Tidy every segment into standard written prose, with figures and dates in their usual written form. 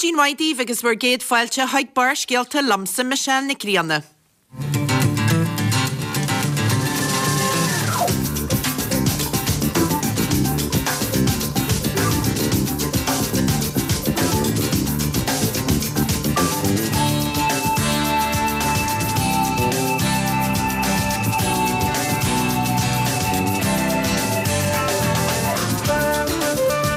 Maidin mhaith daoibh agus bhur gcéad fáilte chuig Barrscéalta liomsa Michelle Nic Grianna.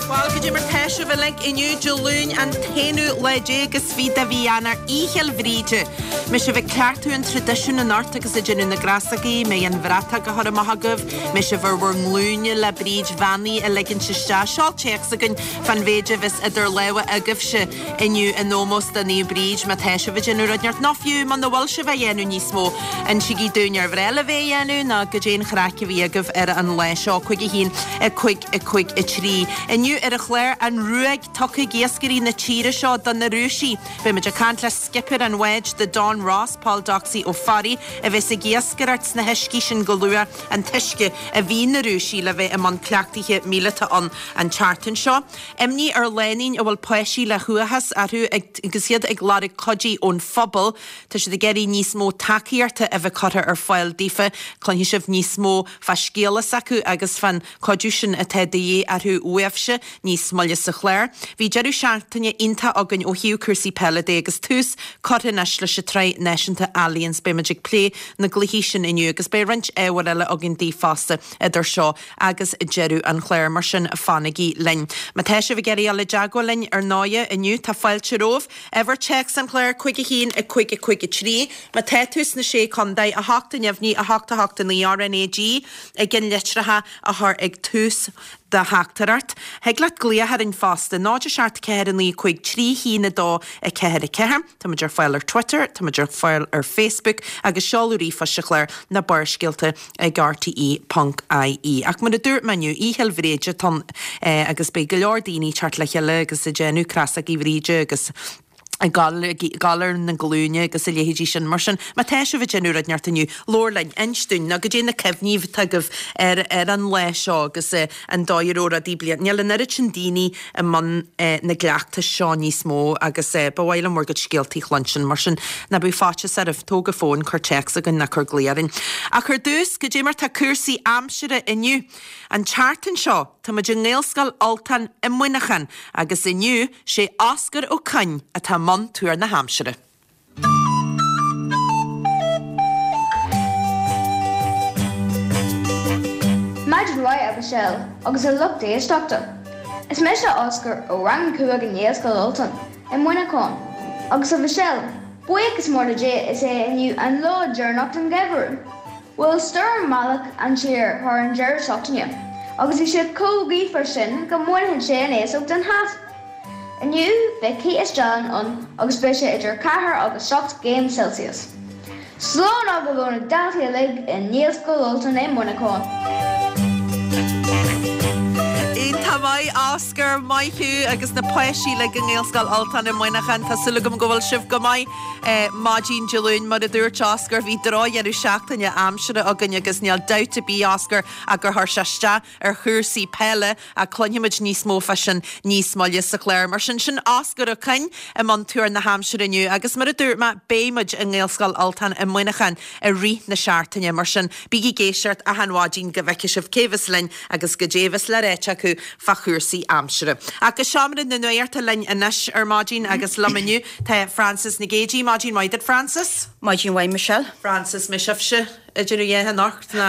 Bhuel, goidé mar tá sibh uilig inniu, Dé Luain an t-aonú lá déag is fiche de mhí Eanáir, Oíche Fhéil Bhríde. Mbeidh sibh ag cleachtadh an traidisiúin anocht agus ag déanamh na gcrasógaí, mbeidh an bhratach á chur amach agaibh, mbeidh sibh ar bhur nglúine le Bríd bheannaithe a ligint isteach. Seol téacs chugainn fán mhéid a bheas idir lámha agaibhse inniu in ómós do Naomh Bríd, má tá sibh ag déanamh rud inteacht, nó fiú muna bhfuil sibh á dhéanamh níos mó, insígí dúinn ar bhreá libh é a dhéanamh nó goidé an chraic a bhí agaibh ar an lá seo. 5 1 5 5 3. Inniu ar an chlár, an ruaig tugtha ag iascairí na tíre seo do na Rúisigh. Beidh muid ag caint le skipper an bháid The Don Ross, Paul Doxey Ó Fearraigh, a bheas ag iascaireacht sna huiscí sin go luath, an t-uisce a bhí na Rúisigh le bheith i mbun cleachtaithe míleata ann an tseachtain seo. Imní ar lánúin a bhfuil páistí le huathachas orthu agus iad ag lorg cuidí ón phobal. Tá siad ag iarraidh níos mó tacaíochta a bheith curtha ar fáil daofa. Cluinfidh sibh níos mó fá scéala s'acu agus fán chuidiú sin atá de dhíth orthu uaibhse níos moille sa chlár. Bhí deireadh seachtaine iontach againn ó thaobh cúrsaí peile de agus tús curtha anois leis an tsraith náisiúnta Allianz. Beidh muid ag plé na gcluichí sin inniu agus beidh roinnt ábhair eile againn daoibh fosta idir seo agus deireadh an chláir, mar sin fanaigí linn. Má tá sibh ag iarraidh dul i dteagmháil linn ar ndóighe inniu tá fáilte romhaibh. Uimhir téacs an chláir, 5 1 5 5 3. Má tá tú sna Sé Chontae, 8 a neamhní, 8 8 9 RnaG i gceann litreacha a chur ag tús do theachtaireacht. Thig leat glaoch orainn fosta, 0 7 4 9 5 3 1 2 4 4. Tá muid ar fáil ar Twitter, tá muid ar fáil ar Facebook agus seoladh ríomhphoist an chláir ná Barrscéalta ag rte ponc ie. Ach mar a dúirt mé inniu, Oíche Fhéil Bhríde atá ann agus beidh go leor daoine ag teacht le chéile agus ag déanamh crasógaí Bhríde agus ag gabháil ar na glúine agus a leithéidí sin. Mar sin, má tá sibh ag déanamh rud inteacht inniu, labhair linn, inis dúinn, nó goidé na cuimhní atá agaibh ar ar an lá seo agus an dóigh a raibh rudaí bliain. Níl an oiread sin daoine i mbun na gcleachtas seo níos mó agus ba mhaith liom bhur gcuid scéaltaí a chluinstin. Mar sin, ná bíodh faitíos oraibh, tóg an fón, cuir téacs chugainn ná cuir glao orainn. Ach ar dtús, goidé mar tá cúrsaí aimsire inniu. An tseachtain seo, tá muid i nGaelscoil Ultán i Muineachán agus inniu, sé Oscar Ó Coinn atá i mbun tuar na haimsire. Maidin mhaith a Mhichelle agus a lucht éisteachta. Is mise Oscar ó Rang 5 i nGaelscoil Ultain i Muineachán. Agus a Mhichelle, buíochas mór le Dia is é inniu an lá deireanach den gheimhreadh. Bhuail stoirm bhealach an tír thar an deireadh seachtaine agus bhí sé chomh gaofar sin go mbainfeadh sé an fhéasóg den hat. Inniu beidh cith is dealán ann agus beidh sé idir 4 agus 7 gcéim Celsius. Slán agaibh ó na daltaí uilig i nGaelscoil Ultain i Muineachán. Iontach maith, Oscar, maith thú agus na páistí uilig i nGaelscoil Ultain i Muineachán. Tá súil agam go bhfuil sibh go maith maidin Dé Luain. Mar a dúirt Oscar, bhí drochdheireadh seachtaine aimsire againn agus níl dabht ar bith, Oscar, ach gur chuir sé isteach ar chúrsaí peile ach cluinfimid níos mó fá sin níos moille sa chlár. Mar sin, sin Oscar Ó Coinn i mbun tuar na haimsire inniu agus mar a dúirt mé, beidh muid i nGaelscoil Ultain i Muineachán i rith na seachtaine, mar sin bígí ag éisteacht achan mhaidin go bhfeicfidh sibh cé bheas linn agus goidé a bheas le ráite acu fá chúrsaí aimsire. Ach go seomra na nuachta linn anois ar maidin agus liom inniu tá Frances Nic Géadaigh. Maidin mhaith duit Frances. Maidin mhaith Michelle. Frances, mbeidh sibhse ag déanamh a dhath anocht ná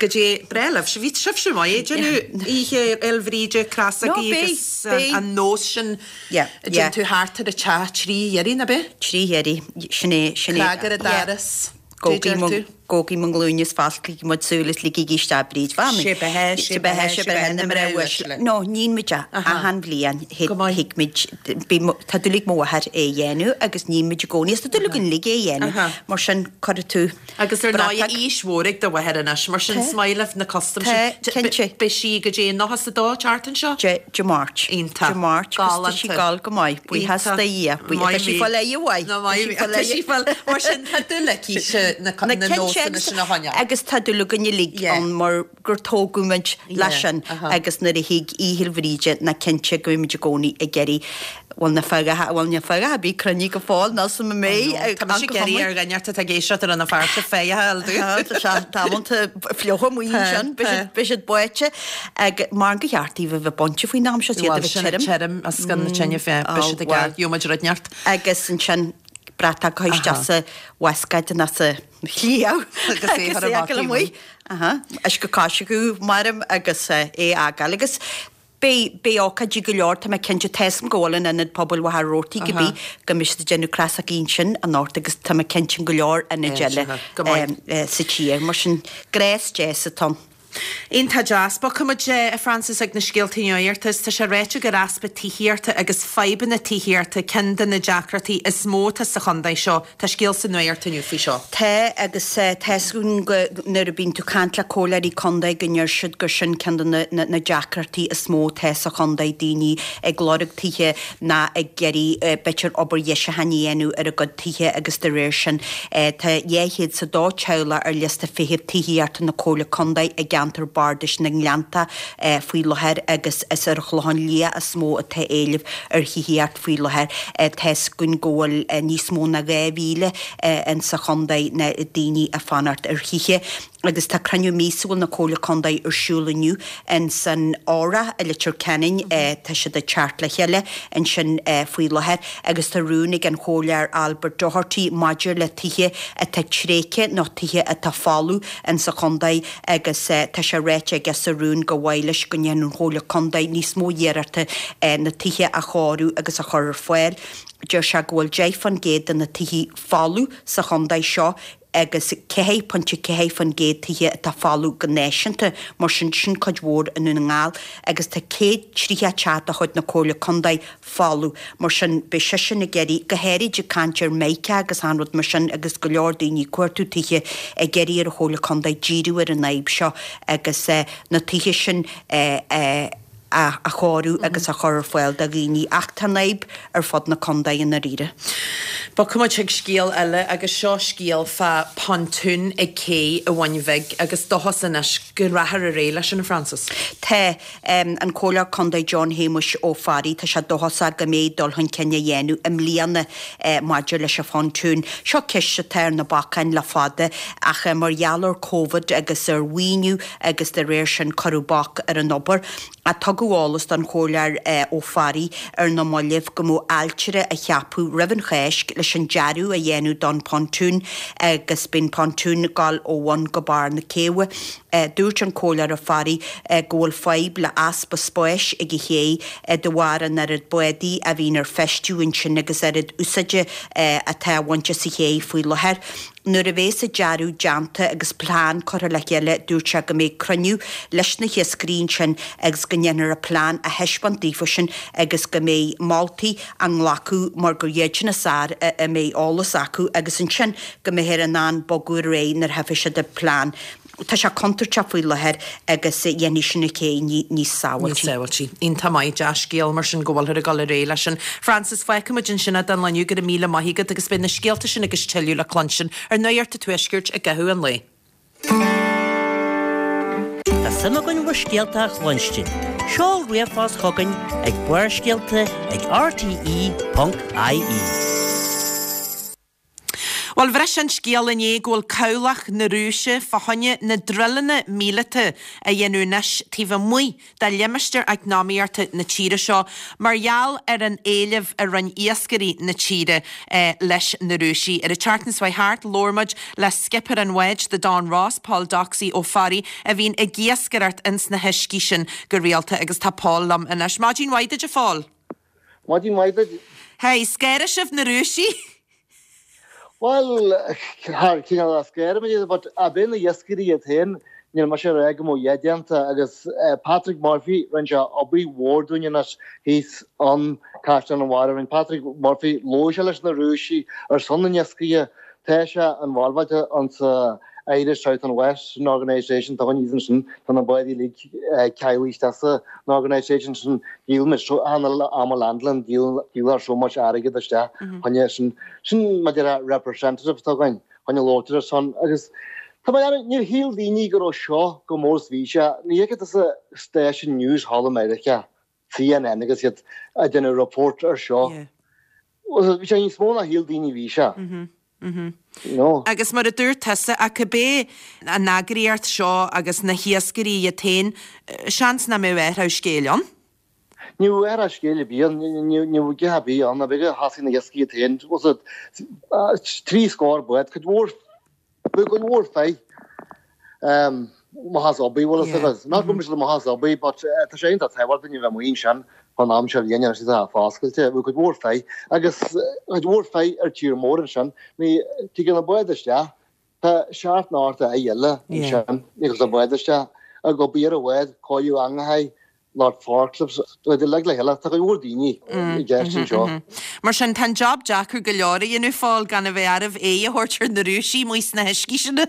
goidé breá libhse. Bhí sibhse maith ag déanamh Oíche Fhéil Bhríde, crasógaí agus an nós sin a dtéann tú thart ar an teach trí hiarraidh, ná bith? Trí hiarraidh, sin é, sin é. Cnag ar an doras. Gabhaigí mo nglúine is fosclaígí mo shúil is ligigí isteach Bríd Mhamaí. Sé beatha, sé beatha, sé beatha na mná uaisle. No, níonn muid é achan bhliain. Thig muid, tá dúil ag mo mháthair é a dhéanamh agus níonn muid i gcónaí is tá dúil againn uilig é a dhéanamh. Mar sin, cuirfidh tú Agus ar ndóigh, aois mhór ag do mháthair anois, mar sin is maith libh na custaim sin. Tá, cinnte. Beidh sí goidé 92 an tseachtain seo? Dé Máirt. Iontach. Dé Máirt agus tá sí ag gabháil go maith. Buíochas do Dhia. Tá sí fáil aghaidh mhaith. Tá sí fáil. Mar sin, tá dúil aici na nósanna. nósanna sin a choinneáil. Agus tá dúil againn uilig ann mar gur tógadh muid leis sin agus nuair a thig Oíche Bhríde ná cinnte go mbeidh muid i gcónaí ag iarraidh bhuel na fearacha, bhuel na fearacha a bhí cruinnithe go fóill nó sa mbeidh Tá mise ag iarraidh ar dhuine atá ag éisteacht ar an fear féithe a fháil dúinn. Tá sé tamallta fliuch amuigh ansin, beidh siad báite ag mar go cheart daoibh a bheith bainte faoin am seo, iad a bheith tirim. Tirim as gan na tine fé, beidh siad ag gheobhaidh muid rud inteacht. Agus ansin bratach a chur isteach sa bhascáid nó sa chliabh agus é a fhágáil amuigh. Uisce coisricthe maram agus é a fhágáil agus beidh beidh ócáidí go leor tá mé cinnte tá 'fhios a'm go bhfuil in Ionad Pobail Mhachaire Rabhartaigh go bí go mbeidh siad ag déanamh crosógaí ansin anocht agus tá mé cinnte in go leor ionaid eile sa tír mar sin gnás deas atá ann. Iontach deas. Bogfaidh muid, a Frances, ag na scéaltaí nuachta. Tá sé ráite gur easpa tithíochta agus fadhbanna tithíochta ceann de na deacrachtaí is mó atá sa chontae seo. Tá scéal sa nuacht inniu faoi seo. Tá, agus tá 'fhios againn go, nuair a bíonn tú ag caint le comhairleoirí contae go ndeir siad gur sin ceann de na na deacrachtaí is mó atá sa chontae, daoine ag lorg tithe ná ag iarraidh b'fhéidir obair dheisiúcháin a dhéanamh ar a gcuid tithe agus de réir sin tá 200 's a dó teaghlach ar liosta feithimh tithíochta na Comhairle Contae i gceantar bardais na nGleannta faoi láthair agus is ar an Chlochán Liath is mó atá éileamh ar thithíocht faoi láthair. Tá 'fhios againn go bhfuil níos mó ná 2,000 insa chontae na daoine ag fanacht ar thithe. Agus tá cruinniú míosúil na Comhairle Contae ar siúl inniu ins an Odhrach i Leitir Ceanainn. Tá siad ag teacht le chéile ansin faoi láthair agus tá rún ag an Chomhairleoir Albert Doherty maidir le tithe atá tréigthe nó tithe atá folamh insa chontae agus tá sé ráite aige sa rún gur mhaith leis go ndéanfadh an Chomhairle Contae níos mó iarrachta na tithe a chóiriú agus a chur ar fáil. Deir sé go bhfuil 10% de na tithe folamh sa chontae seo agus 4.4% tithe atá folamh go náisiúnta, mar sin, sin cuid mhór i nDún na nGall, agus tá 130 teach de chuid na Comhairle Contae folamh, mar sin, beidh seisean ag iarraidh, go háirid ag caint ar Mica agus achan rud mar sin agus go leor daoine ag cuartú tithe, ag iarraidh ar an Chomhairle Contae díriú ar an fhadhb seo agus na tithe sin a a chóiriú agus a chur ar fáil do dhaoine ach tá an fhadhb ar fud na contae i ndáiríre. Bogfaidh muid chuig scéal eile agus seo scéal fá pontoon ag cé i Bhun Bhig agus dóchas anois go rachfar ar aghaidh leis sin, a Frances. Tá. An Comhairleoir Contae John Shéamuis Ó Fearraigh, tá sé dóchasach go mbeidh dul chun cinn á dhéanamh i mbliana maidir leis an phontún. Seo ceist atá ar na bacáin le fada ach mar gheall ar Covid agus ar mhaoiniú agus de réir sin cuireadh bac ar an obair. Ach tugadh eolas don Chomhairleoir Ó Fearraigh ar na mallaibh go mbeadh ailtire á cheapadh roimh an Cháisc leis an dearadh a dhéanamh don pontoon agus beidh an pontoon ag dul ó bhun go barr na céibhe. Dúirt an Comhairleoir Ó Fearraigh go bhfuil fadhb le easpa spáis ag an chéidh de bharr an oiread bádaí a bhíonn ar feistiú ansin agus oiread úsáide atá á bhaint as an chéidh faoi láthair. Nuair a bhéas an dearadh déanta agus plean curtha le chéile, dúirt sé go mbeidh cruinniú leis na hiascairí ansin agus go ndéanfar an plean a thaispeáint daofasan agus go mbeidh moltaí á nglacadh mar gur iad sin is fearr a mbeidh eolas acu agus ansin go mbeifear in ann bogadh ar aghaidh nuair a thiofas siad an plean. Tá sé contúirteach faoi láthair agus dhéanfaidh sin an ché níos sábháiltí. Níos sábháiltí. Iontach maith, dea-scéal mar sin go bhfuilthear ag dul ar aghaidh leis sin. Frances, fágfaidh muid ansin é don lá inniu, go raibh míle maith agat agus beidh na scéalta sin agus tuilleadh le cluinstin ar Nuacht an Tuaiscirt i gcaitheamh an lae. Tá suim againn bhur scéalta a chluinstin. Seol ríomhphost chugainn ag barrscéalta ag rte.ie. Bhuel, bhris an scéal inné go bhfuil cabhlach na Rúise fá choinne na druileanna míleata a dhéanamh anois taobh amuigh de limistéar eacnamaíochta na tíre seo mar gheall ar an éileamh a rinne iascairí na tíre leis na Rúisigh. Ar an tseachtain seo chuaigh thart, labhair muid le skipper an bháid, The Don Ross, Paul Doxey Ó Fearraigh, a bhíonn ag iascaireacht ins na huiscí sin go rialta agus tá Paul liom anois. Maidin mhaith duit, a Phóil. Maidin mhaith duit. Hey, scanraigh sibh na Rúisigh? Bhuel, thar cineál a scanraigh muid iad, but ab é na hiascairí iad féin, níl mise ag rá go mbeadh a dhath déanta agus Patrick Murphy, rinne sé obair mhór dúinn anois thíos ann Caisleán an Bharraigh, rinne Patrick Murphy, labhair sé leis na Rúisigh ar son na n-iascaithe, tá sé involved insa Irish South and West Organisation, tá dhuine ansin, tá na báid uilig ceadmhaithe isteach san organisation sin, díol so am landlin, díol so much airgead isteach, choinne sin, sin maidir le representative atá againn, choinne labhairt ar a son agus. Tá mé ag níor shíl daoine go raibh seo chomh mór is bhí sé. Ní fheiceann tusa stáisiún news thall i Meiriceá, CNN agus iad ag déanamh report ar seo. Bhí sé níos mó ná shíl daoine bhí sé. You know? Agus mar a dúirt tusa, ach cibé an eagraíocht seo agus na hiascairí iad féin, seans nach mbeadh athrú scéil ann. Ní bheadh athrú scéil ar bith ann, ní bheadh a dhath ar bith ann, b'fhéidir thosaigh na hiascairí iad féin, trí scór bád, cuid mhór Bhí cuid mhór fir amach as obair, bhfuil fhios agat. Not go raibh siad amach as obair but tá sé iontach tábhachtach duine a bheith amuigh ansin fán am seo bhliain agus tá foscailte. Bhí cuid mhór fir agus cuid mhór fir ar tír mór ansin. Ní tigeann na báid isteach. Tá seacht nó ocht fhear eile ansin agus na báid isteach ag obair ar an bhád, cóiriú eangacha, lucht forklifts, iad uilig le chéile. Tá cuid mhór daoine i gceist anseo. Mar sin, tá an job deacair go leor a dhéanamh, a Phóil, gan a bheith arbh aghaidh a thabhairt ar na Rúisigh amuigh sna huiscí sin.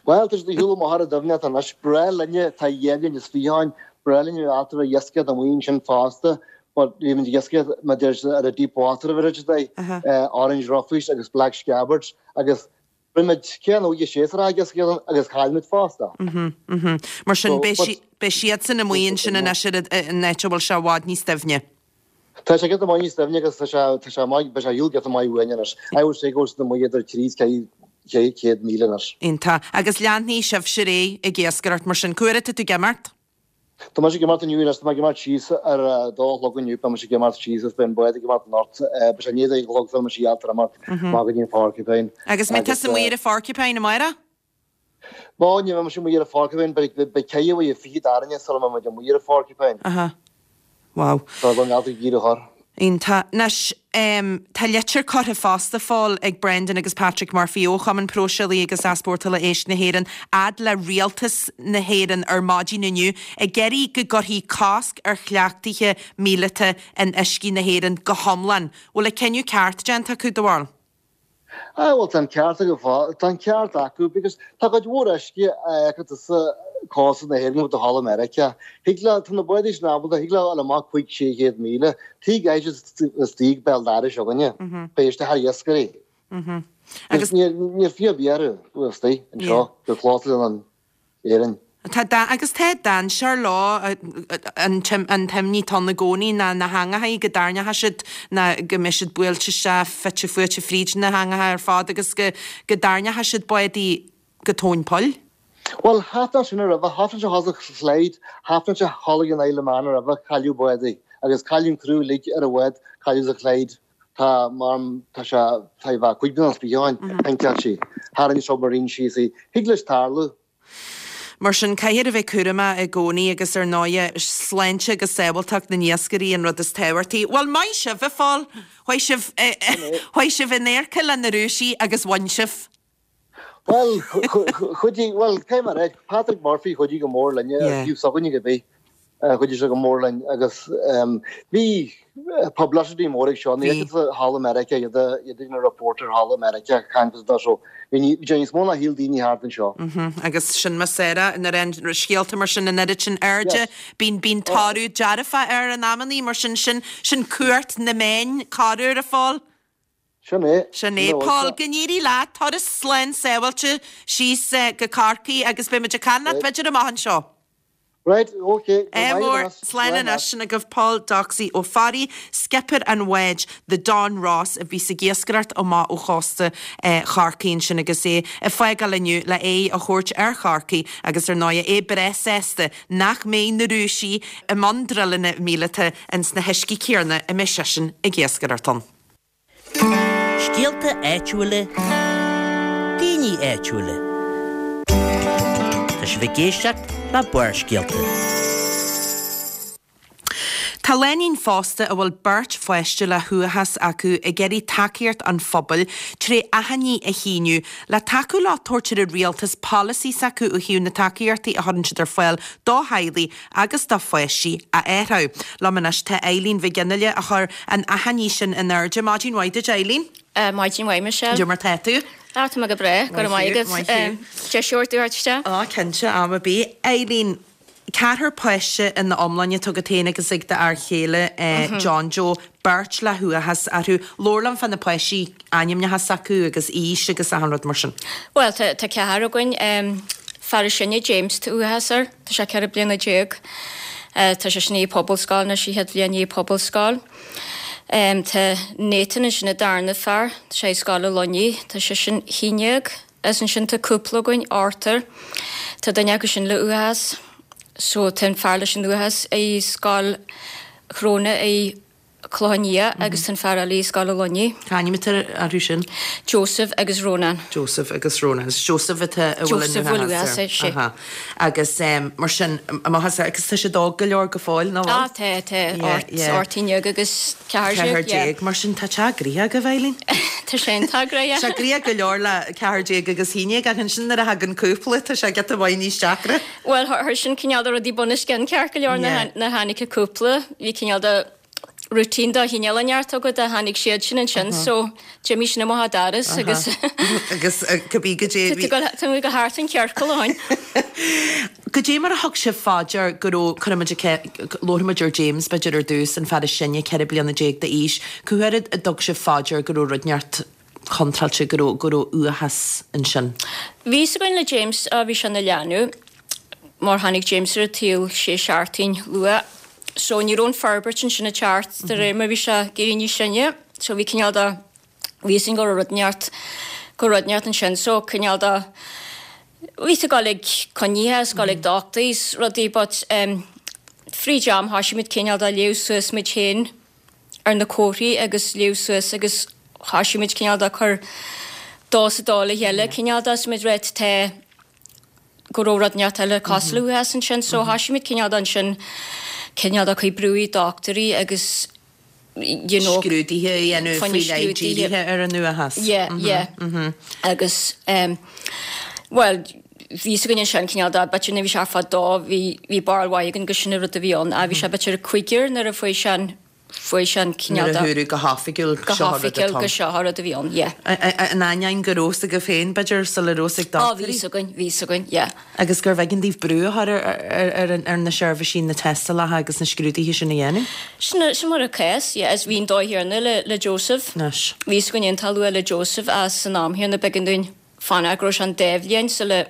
Bhuel, tá siad ag siúl amach ar an doimhneacht anois. Breá linne, tá dhá bhliain is fiche ann, breá linn a bheith ag iascaireacht amuigh ansin fosta, but bhí muid ag iascaireacht, mar deir siad, ar an deep water a bhí siad, orange roughies agus black scabbards agus Rinne muid cén uair séasúr agus agus chaill muid fosta. Mar sin, beidh siadsan amuigh ansin anois ar an áit a bhfuil sé i bhfad níos doimhne. Tá sé giota maith níos doimhne agus tá sé tá sé maith beidh sé ar shiúl giota maith uainn anois. I would say go bhfuil siad amuigh idir 3 is 400 míle anois. Iontach. Agus leanfaidh sibhse ar aghaidh ag iascaireacht mar sin. Cá huair atá tú ag imeacht? Tá mise ag imeacht inniu anois, tá mé ag imeacht síos ar a dó a chlog inniu, beidh mise ag imeacht síos agus beidh an bád ag imeacht anocht, beidh sé i ndiaidh a dó a chlog sula mbeidh sí ábalta imeacht amach go dtí an Porcupine. Agus mbeidh tusa amuigh ar an Phorcupine amárach? Bhuel, ní bheidh mise amuigh ar an Phorcupine, beidh ceithre uair fichead orainne sula mbeidh muid amuigh ar an Phorcupine. Aha. Wow. Tá an ealta ag iarraidh a chur. Iontach. Anois, tá litir curtha fosta, a Phóil, ag Brendan agus Patrick Murphy ó Chumann Próiseálaí agus Easpórtála Éisc na hÉireann fhad le Rialtas na hÉireann ar maidin inniu ag iarraidh go gcuirfí cosc ar chleachtaithe míleata in uiscí na hÉireann go hiomlán. Bhfuil an cinneadh ceart déanta acu, do bharúil? Ah bhuel tá an ceart acu fá, tá an ceart acu because tá cuid mhór uisce a fheiceann tusa cósta na hÉireann go thall i Meiriceá. Thig leo, tá na bádaí sin ábalta, thig leo dul amach 5, 600 míle, tuige go gcaithfidh siad istigh béal dorais againne, beidh isteach ar iascairí. Agus níl, níl fiú ar bith orthu istigh anseo go close to an Éirinn. Tá agus tá dainséar leo, an t-imní atá ann i gcónaí ná na heangacha, go dtarraingeoidh siad ná go mbeidh siad buailte isteach, fite fuaite fríd na heangacha ar fad agus go go dtarraingeoidh siad bádaí go tóin poill. Bhuel, tharla sin roimhe, tharla sé thall sa Chlyde, tharla sé thall ag an Isle of Man roimhe, cailleadh bádaí agus cailleadh an criú uilig ar an bhád, cailleadh sa Chlyde. Tá, mar, tá sé, tá bheith cuid den spíceáin, pointeáil sí. Tharraing submarine síos í. Thig leis tarlú. Mar sin, caithfear a bheith cúramach i gcónaí agus ar ndóighe, sláinte agus sábháilteacht na n-iascairí an rud is tábhachtaí. Bhuel, maith sibh, a Phóil! Chuaigh sibh, chuaigh sibh in adharca le na Rúisigh agus bhain sibh. Bhuel, chuidigh, bhuel, cé mar é, Patrick Murphy chuidigh go mór linne ar thaobh s'againne cibé, chuidigh sé go mór linn agus bhí publicity mór ag seo, ní fheiceann tú thall i Meiriceá iad iad ag déanamh report ar thall i Meiriceá, caint fá so bhí sé níos mó ná shíl daoine thart anseo. Agus sin mar Sarah, nuair a théann scéalta mar sin an oiread sin airde, bíonn bíonn toradh dearfach air in amannaí, mar sin sin sin cumhacht na meán, corruair a Phóil. Sin é. Sin é. Paul, go n-éirí leat, turas slán sábháilte síos go Corcaigh agus beidh muid ag caint leat b'fhéidir amach anseo. Right, ok, go raibh maith agat. Slán anois. Sin agaibh Paul Doxey Ó Fearraigh, skipper an bháid The Don Ross a bhíos ag iascaireacht amach ó chósta Chorcaí ansin agus é ag fágáil inniu le aghaidh a thabhairt ar Chorcaigh agus ar ndóigh é breá sásta nach mbeidh na Rúisigh i mbun druileanna míleata ins na huiscí céanna a mbeidh seisean ag iascaireacht ann. Scéalta áitiúla, daoine áitiúla. Tá sibh ag éisteacht le Barrscéalta. Tá lánúin phósta a bhfuil beirt pháiste le huathachas acu ag iarraidh tacaíocht an phobail tré achainí a shíniú le tacú leo tabhairt ar an rialtas polasaí s'acu ó thaobh na tacaíochtaí a chuireann siad ar fáil do theaghlaigh agus do pháistí a athrú. Liom anois tá Eileen Mhic Fhionnghaile a chuir an achainí sin in airde. Maidin mhaith duit Eileen. Maidin mhaith Michelle. Cad é mar tá tú? Ah tá mé go breá, go raibh maith agat. Deis a thabhairt isteach. Á cinnte, am ar bith. Eileen, Ceathrar páiste ina iomláine atá agat féin agus ag d'fhear chéile John Joe, beirt le huathachas orthu. Labhair liom fá na páistí, ainmneacha s'acu agus aois agus achan rud mar sin. Bhuel, tá ceathrar againn. Fear is sine, James, tá uathachas air. Tá sé 14 bliana. Tá sé sin i pobalscoil anois, an chéad bhliain i pobalscoil. Tá Nathan ansin an darna fear, tá sé i Scoil an Luinnigh, tá sé sin 11. Is ansin tá cúpla againn, Arthur, tá duine acu sin le uathachas. So tá an fear leis an uathachas i Scoil Shróine i Clochán Liath agus tá an fear eile i Scoil an Luinnigh. Cá ainm atá orthu sin? Joseph agus Rónán. Joseph agus Rónán. Is Joseph atá a bhfuil an Joseph bhfuil uathachas air, sea. Aha. Agus mar sin, amach as, agus tá siad óg go leor go fóill, nach bhfuil? Ah, tá, tá. 18 agus 14, yeah. 14, mar sin tá teach gnoitheach agaibh, Eileen. Tá sé iontach gnoitheach. Sé gnoitheach go leor le 14 agus 11 ach ansin nuair a thagann cúpla tá sé giota maith níos deacra. Bhuel, thar sin cineál de rudaí bunoscionn ceart go leor nuair a tháinig an cúpla, bhí cineál de routine de chineál inteacht agat a tháinig siad sin ansin so d'imigh sin amach an doras agus agus cibé goidé bhí tá muid go thart an ciorcal ó shin. Goidé mar a thug sibh fá dear go raibh, cuirfimid, labharfaimid ar James b'fhéidir ar dtús, an fear is sine, 14 bliana d'aois, cá huair a dtug sibh fá dear go raibh rud inteacht contráilte, go raibh, go raibh uathachas ansin? Bhí fhios againn le James, bhí sé ina leanbh, mar tháinig James ar an tsaol sé seachtain luath, so ní raibh an forbairt ansin ag teacht de réir mar bhí sé ag éirí níos sine, so bhí cineál de, bhí fhios againn go raibh rud inteacht, go raibh rud inteacht ansin, so cineál de, bhí tú ag dul ag coinnithe is dul ag dochtúirí is rudaí but em fríd am thoisigh muid cineál de léamh suas muid féin ar na comharthaí agus léamh suas agus thoisigh muid cineál de cur dó is a dó le chéile cineál de is muid right tá go raibh rud inteacht eile cosúil le uathachas ansin so thoisigh muid cineál de ansin cineál de cur brú ar dochtúirí agus you know scrúduithe a dhéanamh faoi leith dírithe ar an uathachas. Yeah, yeah. Agus em bhuel bhí fhios againn ansin cineál de b'fhéidir nuair a bhí sé fá dó bhí bhí barúil mhaith againn gur sin an rud a bhí ann. Bhí sé b'fhéidir cúigear nuair a fuair sé an fuair sé an cineál de. Nuair a dúradh go hoifigiúil go seo an rud atá ann. Go hoifigiúil go seo an rud a bhí ann, yeah. In ainneoin go raibh fhios agaibh féin b'fhéidir sula raibh fhios ag dochtúirí. Á bhí fhios againn, bhí fhios againn, yeah. Agus gurbh éigean daoibh brú a chur ar na seirbhísí na tástálacha agus na scrúduithe sin a dhéanamh. Sin, sin mar an cás, yeah. Is bhí an dóigh chéanna le, le Joseph. Anois. Bhí fhios againn iontach luath le Joseph as san am chéanna b'éigean dúinn fanacht go raibh sé an dá bhliain sula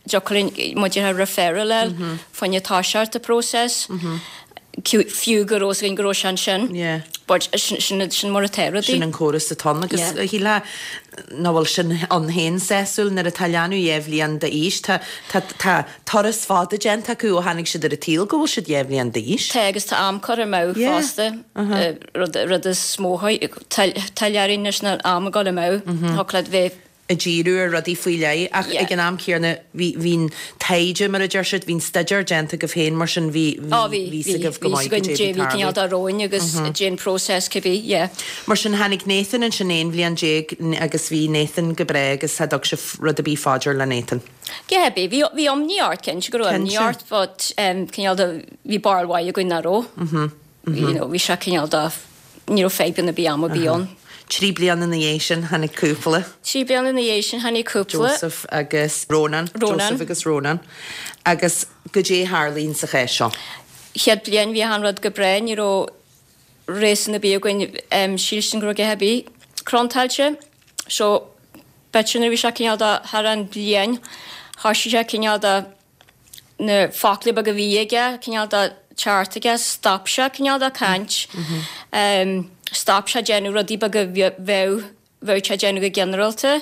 dtiocfadh linn muid a referral a fháil fá choinne toiseacht an process. Fiú go raibh fhios againn go raibh sé ansin. Yeah. But sin, sin, sin mar atá rudaí. Sin an córas atá ann agus Yeah. shílfeá nach bhfuil sin ann féin sásúil nuair atá leanbh dhá bhliain d'aois. Tá, tá, tá turas fada déanta acu ó tháinig siad ar an tsaol go bhfuil siad dhá bhliain d'aois. Tá agus tá am curtha amú Yeah. fosta. Uh-huh. Rud, rud is mó tuile orainn leis an am ag dul amú. Thiocfadh leat bheith ag díriú ar rudaí faoi leith ach ag an am céanna bhí bhí an taighde mar a deir siad, bhí an staidéar déanta agaibh féin mar sin bhí Á bhí, bhí bhí, fhios agaibh go bhí maith againn goidé dé bhí bhí cineál tarlú. de romhainn agus dé an process cibé, yeah. Mar sin tháinig Nathan ansin 11 bhliain agus bhí Nathan go breá agus cha dtug sibh rud ar bith fá dear le Nathan. Cé bith, bhí bhí imní ort, cinnte go raibh imní Cinnte. ort but em cineál de bhí barúil mhaith againn nach raibh. You know, bhí sé cineál de, ní raibh fadhbanna ar bith am ar bith ann. Trí bliana ina dhiaidh sin tháinig cúpla. Trí bliana ina dhiaidh sin tháinig cúpla. Joseph agus Rónán. Rónán. Joseph agus Rónán. Agus goidé a tharlaíonn sa chás seo? Chéad bliain bhí achan rud go breá, ní raibh réasún ar bith againn sílstin go raibh a dhath ar bith contráilte. So, b'fhéidir nuair a bhí sé cineál de thar an bliain, thoisigh sé cineál de na focla beaga a bhí aige, cineál de teacht aige, stop sé cineál de caint, stop sé déanamh rudaí beaga bheadh, bheadh sé déanamh go ginearálta.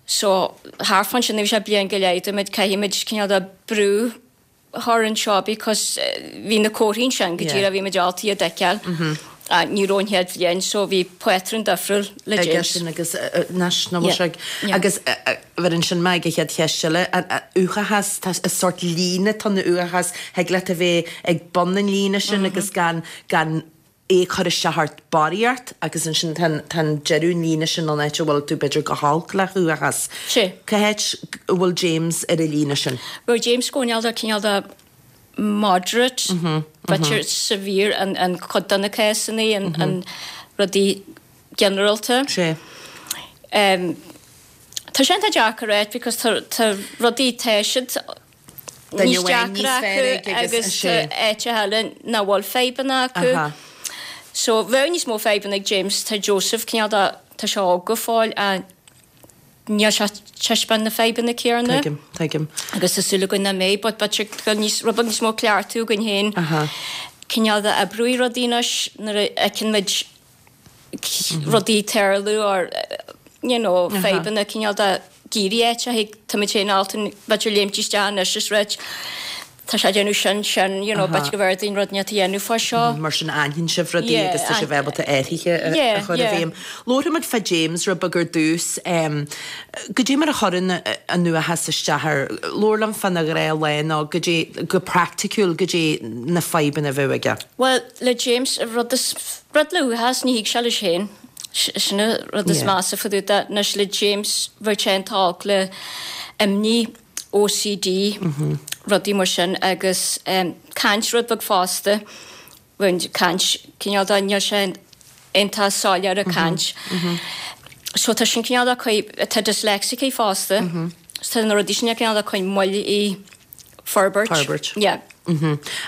So, thart fán sin, bhí sé bliain go leith, dúirt muid, caithfidh muid cineál de brú a chur anseo because bhí na comharthaí ansin go díreach, bhí muid ábalta iad a fheiceáil. Ní raibh an chéad bhliain so bhí pátrún difriúil le aige James. sin agus anois nach bhfuil sé ag agus bheireann sin mé ag an chéad cheist eile, an uathachas, tá is sórt líne atá in uathachas, thig leat a bheith ag bun an líne sin agus gan gan é a chur isteach ort barraíocht agus ansin tá an tá an deireadh an líne sin an áit a bhfuil tú b'fhéidir go holc le huathachas. Sea. Cá háit a bhfuil James ar an líne sin? Bhuel James cineál de cineál de moderate, b'fhéidir severe an cuid de na cásanna, an rudaí ginearálta. Sea. Tá sé iontach deacair a ráit because tá rudaí, tá siad. Níos deacra acu agus tá áiteacha eile nach bhfuil fadhbanna acu. So bheadh níos mó fadhbanna ag James, tá Joseph cineál de, tá sé óg go fóill ach níl sé ag taispeáint na fadhbanna céanna. Tuigim, tuigim. Agus tá súil againn nach mbeidh but b'fhéidir go bhfuil níos, rud beag níos mó cleachtadh againn féin cineál de oibriú rudaí anois nuair a fheiceann muid rudaí ag tarlú or you know fadhbanna cineál de ag éirí áiteacha táimid féin ábalta b'fhéidir léimt isteach anois is ráit tá sé ag déanamh sin sin you know b'fhéidir go mb'fhearr dúinn rud inteacht a dhéanamh fá seo. Mar sin aithníonn sibh rudaí agus tá sibh ábalta athruithe a chur i bhfeidhm. Labharfaimid fá James rud beag ar dtús. Goidé mar a chuireann an uathachas isteach air? Labhair liom fána ghnáthlá nó goidé go praiticiúil goidé na fadhbanna a bheadh aige. Bhuel le James rud is Rud le uathachas, ní thig sé leis féin. Sin an rud is measa fá dtaobh de. Anois le James, bheadh sé iontach olc le imní, OCD, rudaí mar sin agus caint rud beag fosta. Bheadh caint cineál de, níl sé iontach soiléir ag caint. So tá sin cineál de, tá dyslexic é fosta. So tá na rudaí sin cineál de ag cur moill ar forbairt. Forbairt. Yeah.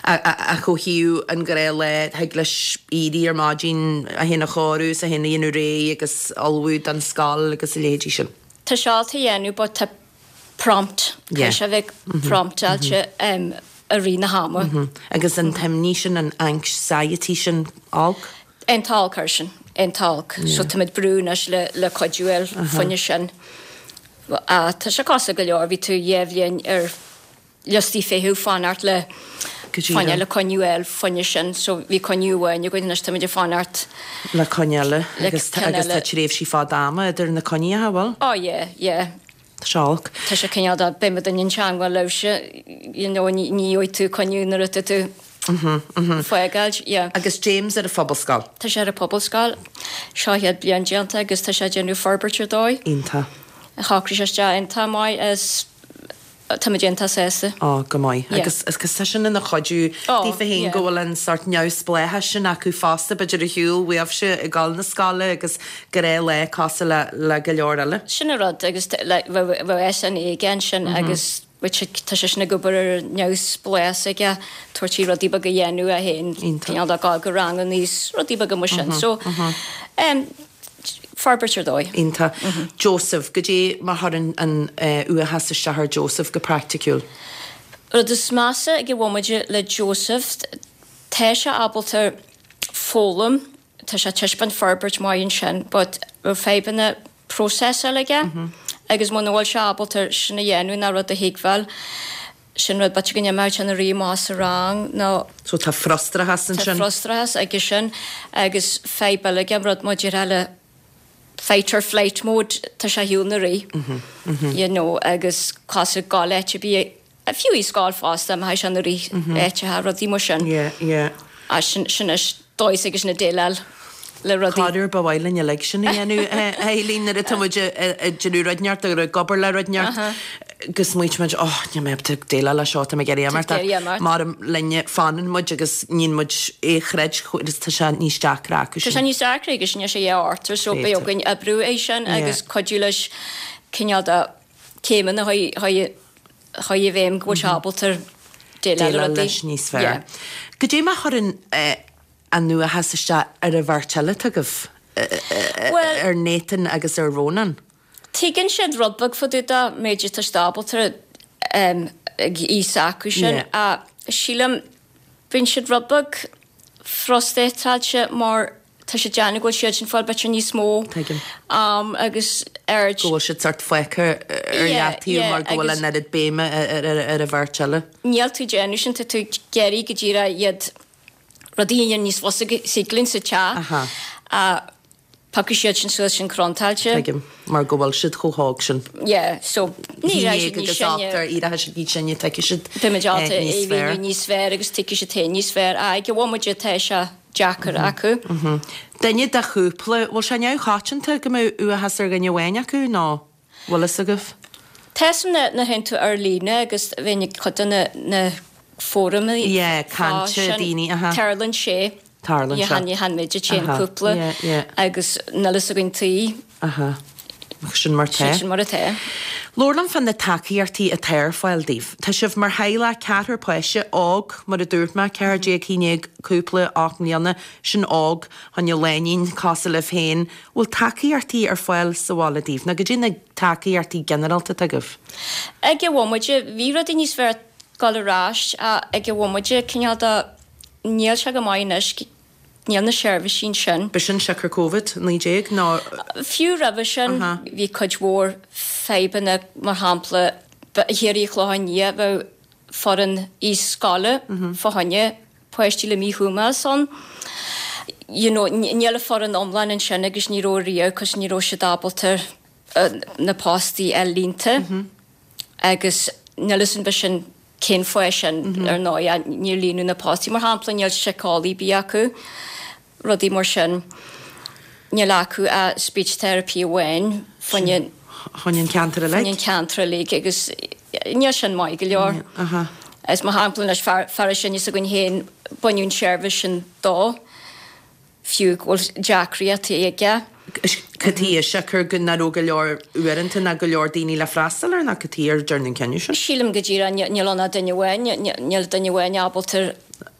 Ach ó thaobh an ghnáthlá, thig leis éirí ar maidin, é féin a chóiriú is é féin a dhéanamh réidh agus ullmhú don scoil agus a leithéidí sin. Tá sé ábalta a dhéanamh but tá prompt, caithfidh sé a bheith promptáilte i rith na hama. Agus an t-imní sin, an anxiety sin olc? Iontach olc air sin, iontach olc. So táimid ag brú anois le cuidiú a fháil fá choinne sin. Tá sé cosúil go leor, bhí tú dhá bhliain ar liostaí feithimh fanacht le fáinne le coinne a fháil fá choinne sin so bhí coinne amháin againn anois táimid ag fanacht le coinne eile agus agus tá tréimhsí fada ama idir na coinní an bhfuil? Oh yeah, yeah. Tá sé olc. Tá sé cineál de beidh muid in teagmháil libhse you know ní gheobhaidh tú coinne nuair atá tú fágáil, yeah. Agus James ar an phobalscoil? Tá sé ar an phobalscoil. Seo a chéad bliain déanta agus tá sé ag déanamh forbairt ar dóigh. Iontach. Shocraigh sé isteach iontach maith is táimid iontach sásta. Ó, go maith. Yeah. Agus agus tá sin ina chuidiú daofa féin go bhfuil an sórt neamhspleáchais sin acu fosta, b'fhéidir ar shiúl uaibhse ag dul na scoile agus gnáthlá cosúil le le go leor eile. Sin an rud agus like bheadh bheadh SNA aige ansin agus which tá sé sin ag obair ar an neamhspleáchas aige, tabhairt di rudaí beaga a dhéanamh é féin, cineál de gabháil go ranganna is rudaí beaga mar sin. So, em, forbairt ar dóigh. Iontach. Joseph, goidé mar chuireann an uathachas isteach ar Joseph go praiticiúil? Rud is measa ag an bhomaite le Joseph, tá sé ábalta foghlaim, tá sé ag taispeáint forbairt maith ansin but raibh fadhbanna próiseála aige agus muna bhfuil sé ábalta sin a dhéanamh ná rud a thuigbheáil, sin rud b'fhéidir go n-imeodh sé ina rith amach as an rang nó. So tá frustrachas ansin. Tá frustrachas aige sin agus fadhb eile aige, rud maidir le fight or flight mode, tá sé ar shiúl ina rith, you know, agus cosúil gabháil áit ar bith Fiú i scoil fosta, má théann sé ina rith áiteacha, rudaí mar sin. Yeah, yeah. Ah, sin, sin is dóigh s'aige sin déileáil le rudaí. Corruair ba mhaith linn uilig sin a dhéanamh, a Eileen, nuair atá muid ag déanamh rud inteacht nó ag obair le rud inteacht, go smaoitíonn muid, oh, níl mé ábalta déileáil leis seo, tá mé ag iarraidh imeacht. Ag iarraidh imeacht. Mar linne, fanann muid agus níonn muid é a chreid, agus tá sé níos deacra acu sin. Tá sé níos deacra agus níl sé dhá orthu, so beidh againn oibriú é sin agus cuidiú leis cineál de céimeanna a chur i bhfeidhm go bhfuil sé ábalta déileáil le rudaí. leis níos fearr. Goidé mar a chuireann an uathachas isteach ar an bheirt eile atá agaibh, ar Nathan agus ar Rónán? Tuigeann siad rud beag fá dtaobh de, méid atá siad ábalta ag aois acu sin. Ach sílim, bíonn siad rud beag frustrátailte mar Tá sé déanamh go bhfuil siad sin fáil b'fhéidir níos mó Tuigim. am agus aird. Go bhfuil siad sort fágtha ar leataobh mar go bhfuil an oiread béime ar an bheirt eile. Níl tú ag déanamh sin, tá tú ag iarraidh go díreach iad rudaí a dhéanamh níos fusa thig linn sa teach. Ach piocfaidh siad sin suas sin crontáilte. Tuigim. Mar go bhfuil siad chomh hóg sin. Yeah, so ní raibh siad níos sine. Éireoidh siad níos sine, tuigfidh siad Beimid ábalta níos fearr. níos fearr agus tuigfidh siad féin níos fearr. Ag an bhomaite tá sé deacair acu. Duine de chúpla, bhfuil sé neamhchoitianta go mbeadh uathachas ar dhuine amháin acu nó bhfuil fhios agaibh? Tá fhios a'm nuair a théann tú ar líne agus bheinn ag cuid de na na fóraim Yeah, cainte daoine, aha. Tarlaíonn sé. Tarlaíonn sé. Ní hann muid a téann cúpla yeah, yeah. agus níl fhios againn tuige. Aha. Sin mar tá. Sin mar atá. Labhair liom fá na tacaíochtaí atá ar fáil daoibh. Tá sibh mar theaghlach ceathrar páiste, óg, mar a dúirt mé, 14, 11, cúpla, 8 mbliana, sin óg, fá choinne lainín cosúil libh féin. Bhfuil tacaíochtaí ar fáil sa bhaile daoibh? Nó goidé na tacaíochtaí ginearálta atá agaibh? Ag an bhomaite, bhí rudaí níos fearr ag dul ar ais ach ag an bhomaite, cineál de, níl sé go maith anois. Níl na seirbhísí ansin. B'shin siocair Covid 19 nó? Fiú roimhe sin bhí cuid mhór fadhbanna, mar shampla thiar i Clochán Liath bheadh foireann aoi-scoile fá choinne páistí le míchumas ann. You know níl an foireann iomlán ansin agus ní raibh riamh cos ní raibh siad ábalta na postaí a fháil líonta agus níl fhios an b'shin Cén fáth sin, ar ndóigh, níor líonadh na postaí. Mar shampla, níl síceolaí ar bith acu, rudaí mar sin. Níl acu ach speech therapy amháin fá choinne an ceantar uilig. Fá choinne an ceantar uilig agus níl sin maith go leor. Is mar shampla anois, fear is sine s'againn féin, baineadh an tseirbhís sin dó. fiú go bhfuil deacrachtaí aige. Cad chuige siocair go nach raibh go leor uaireanta ná go leor daoine le freastal air nó cad chuige ar dearnadh an cinneadh sin? Sílim go díreach níl ann ach duine amháin, níl duine amháin ábalta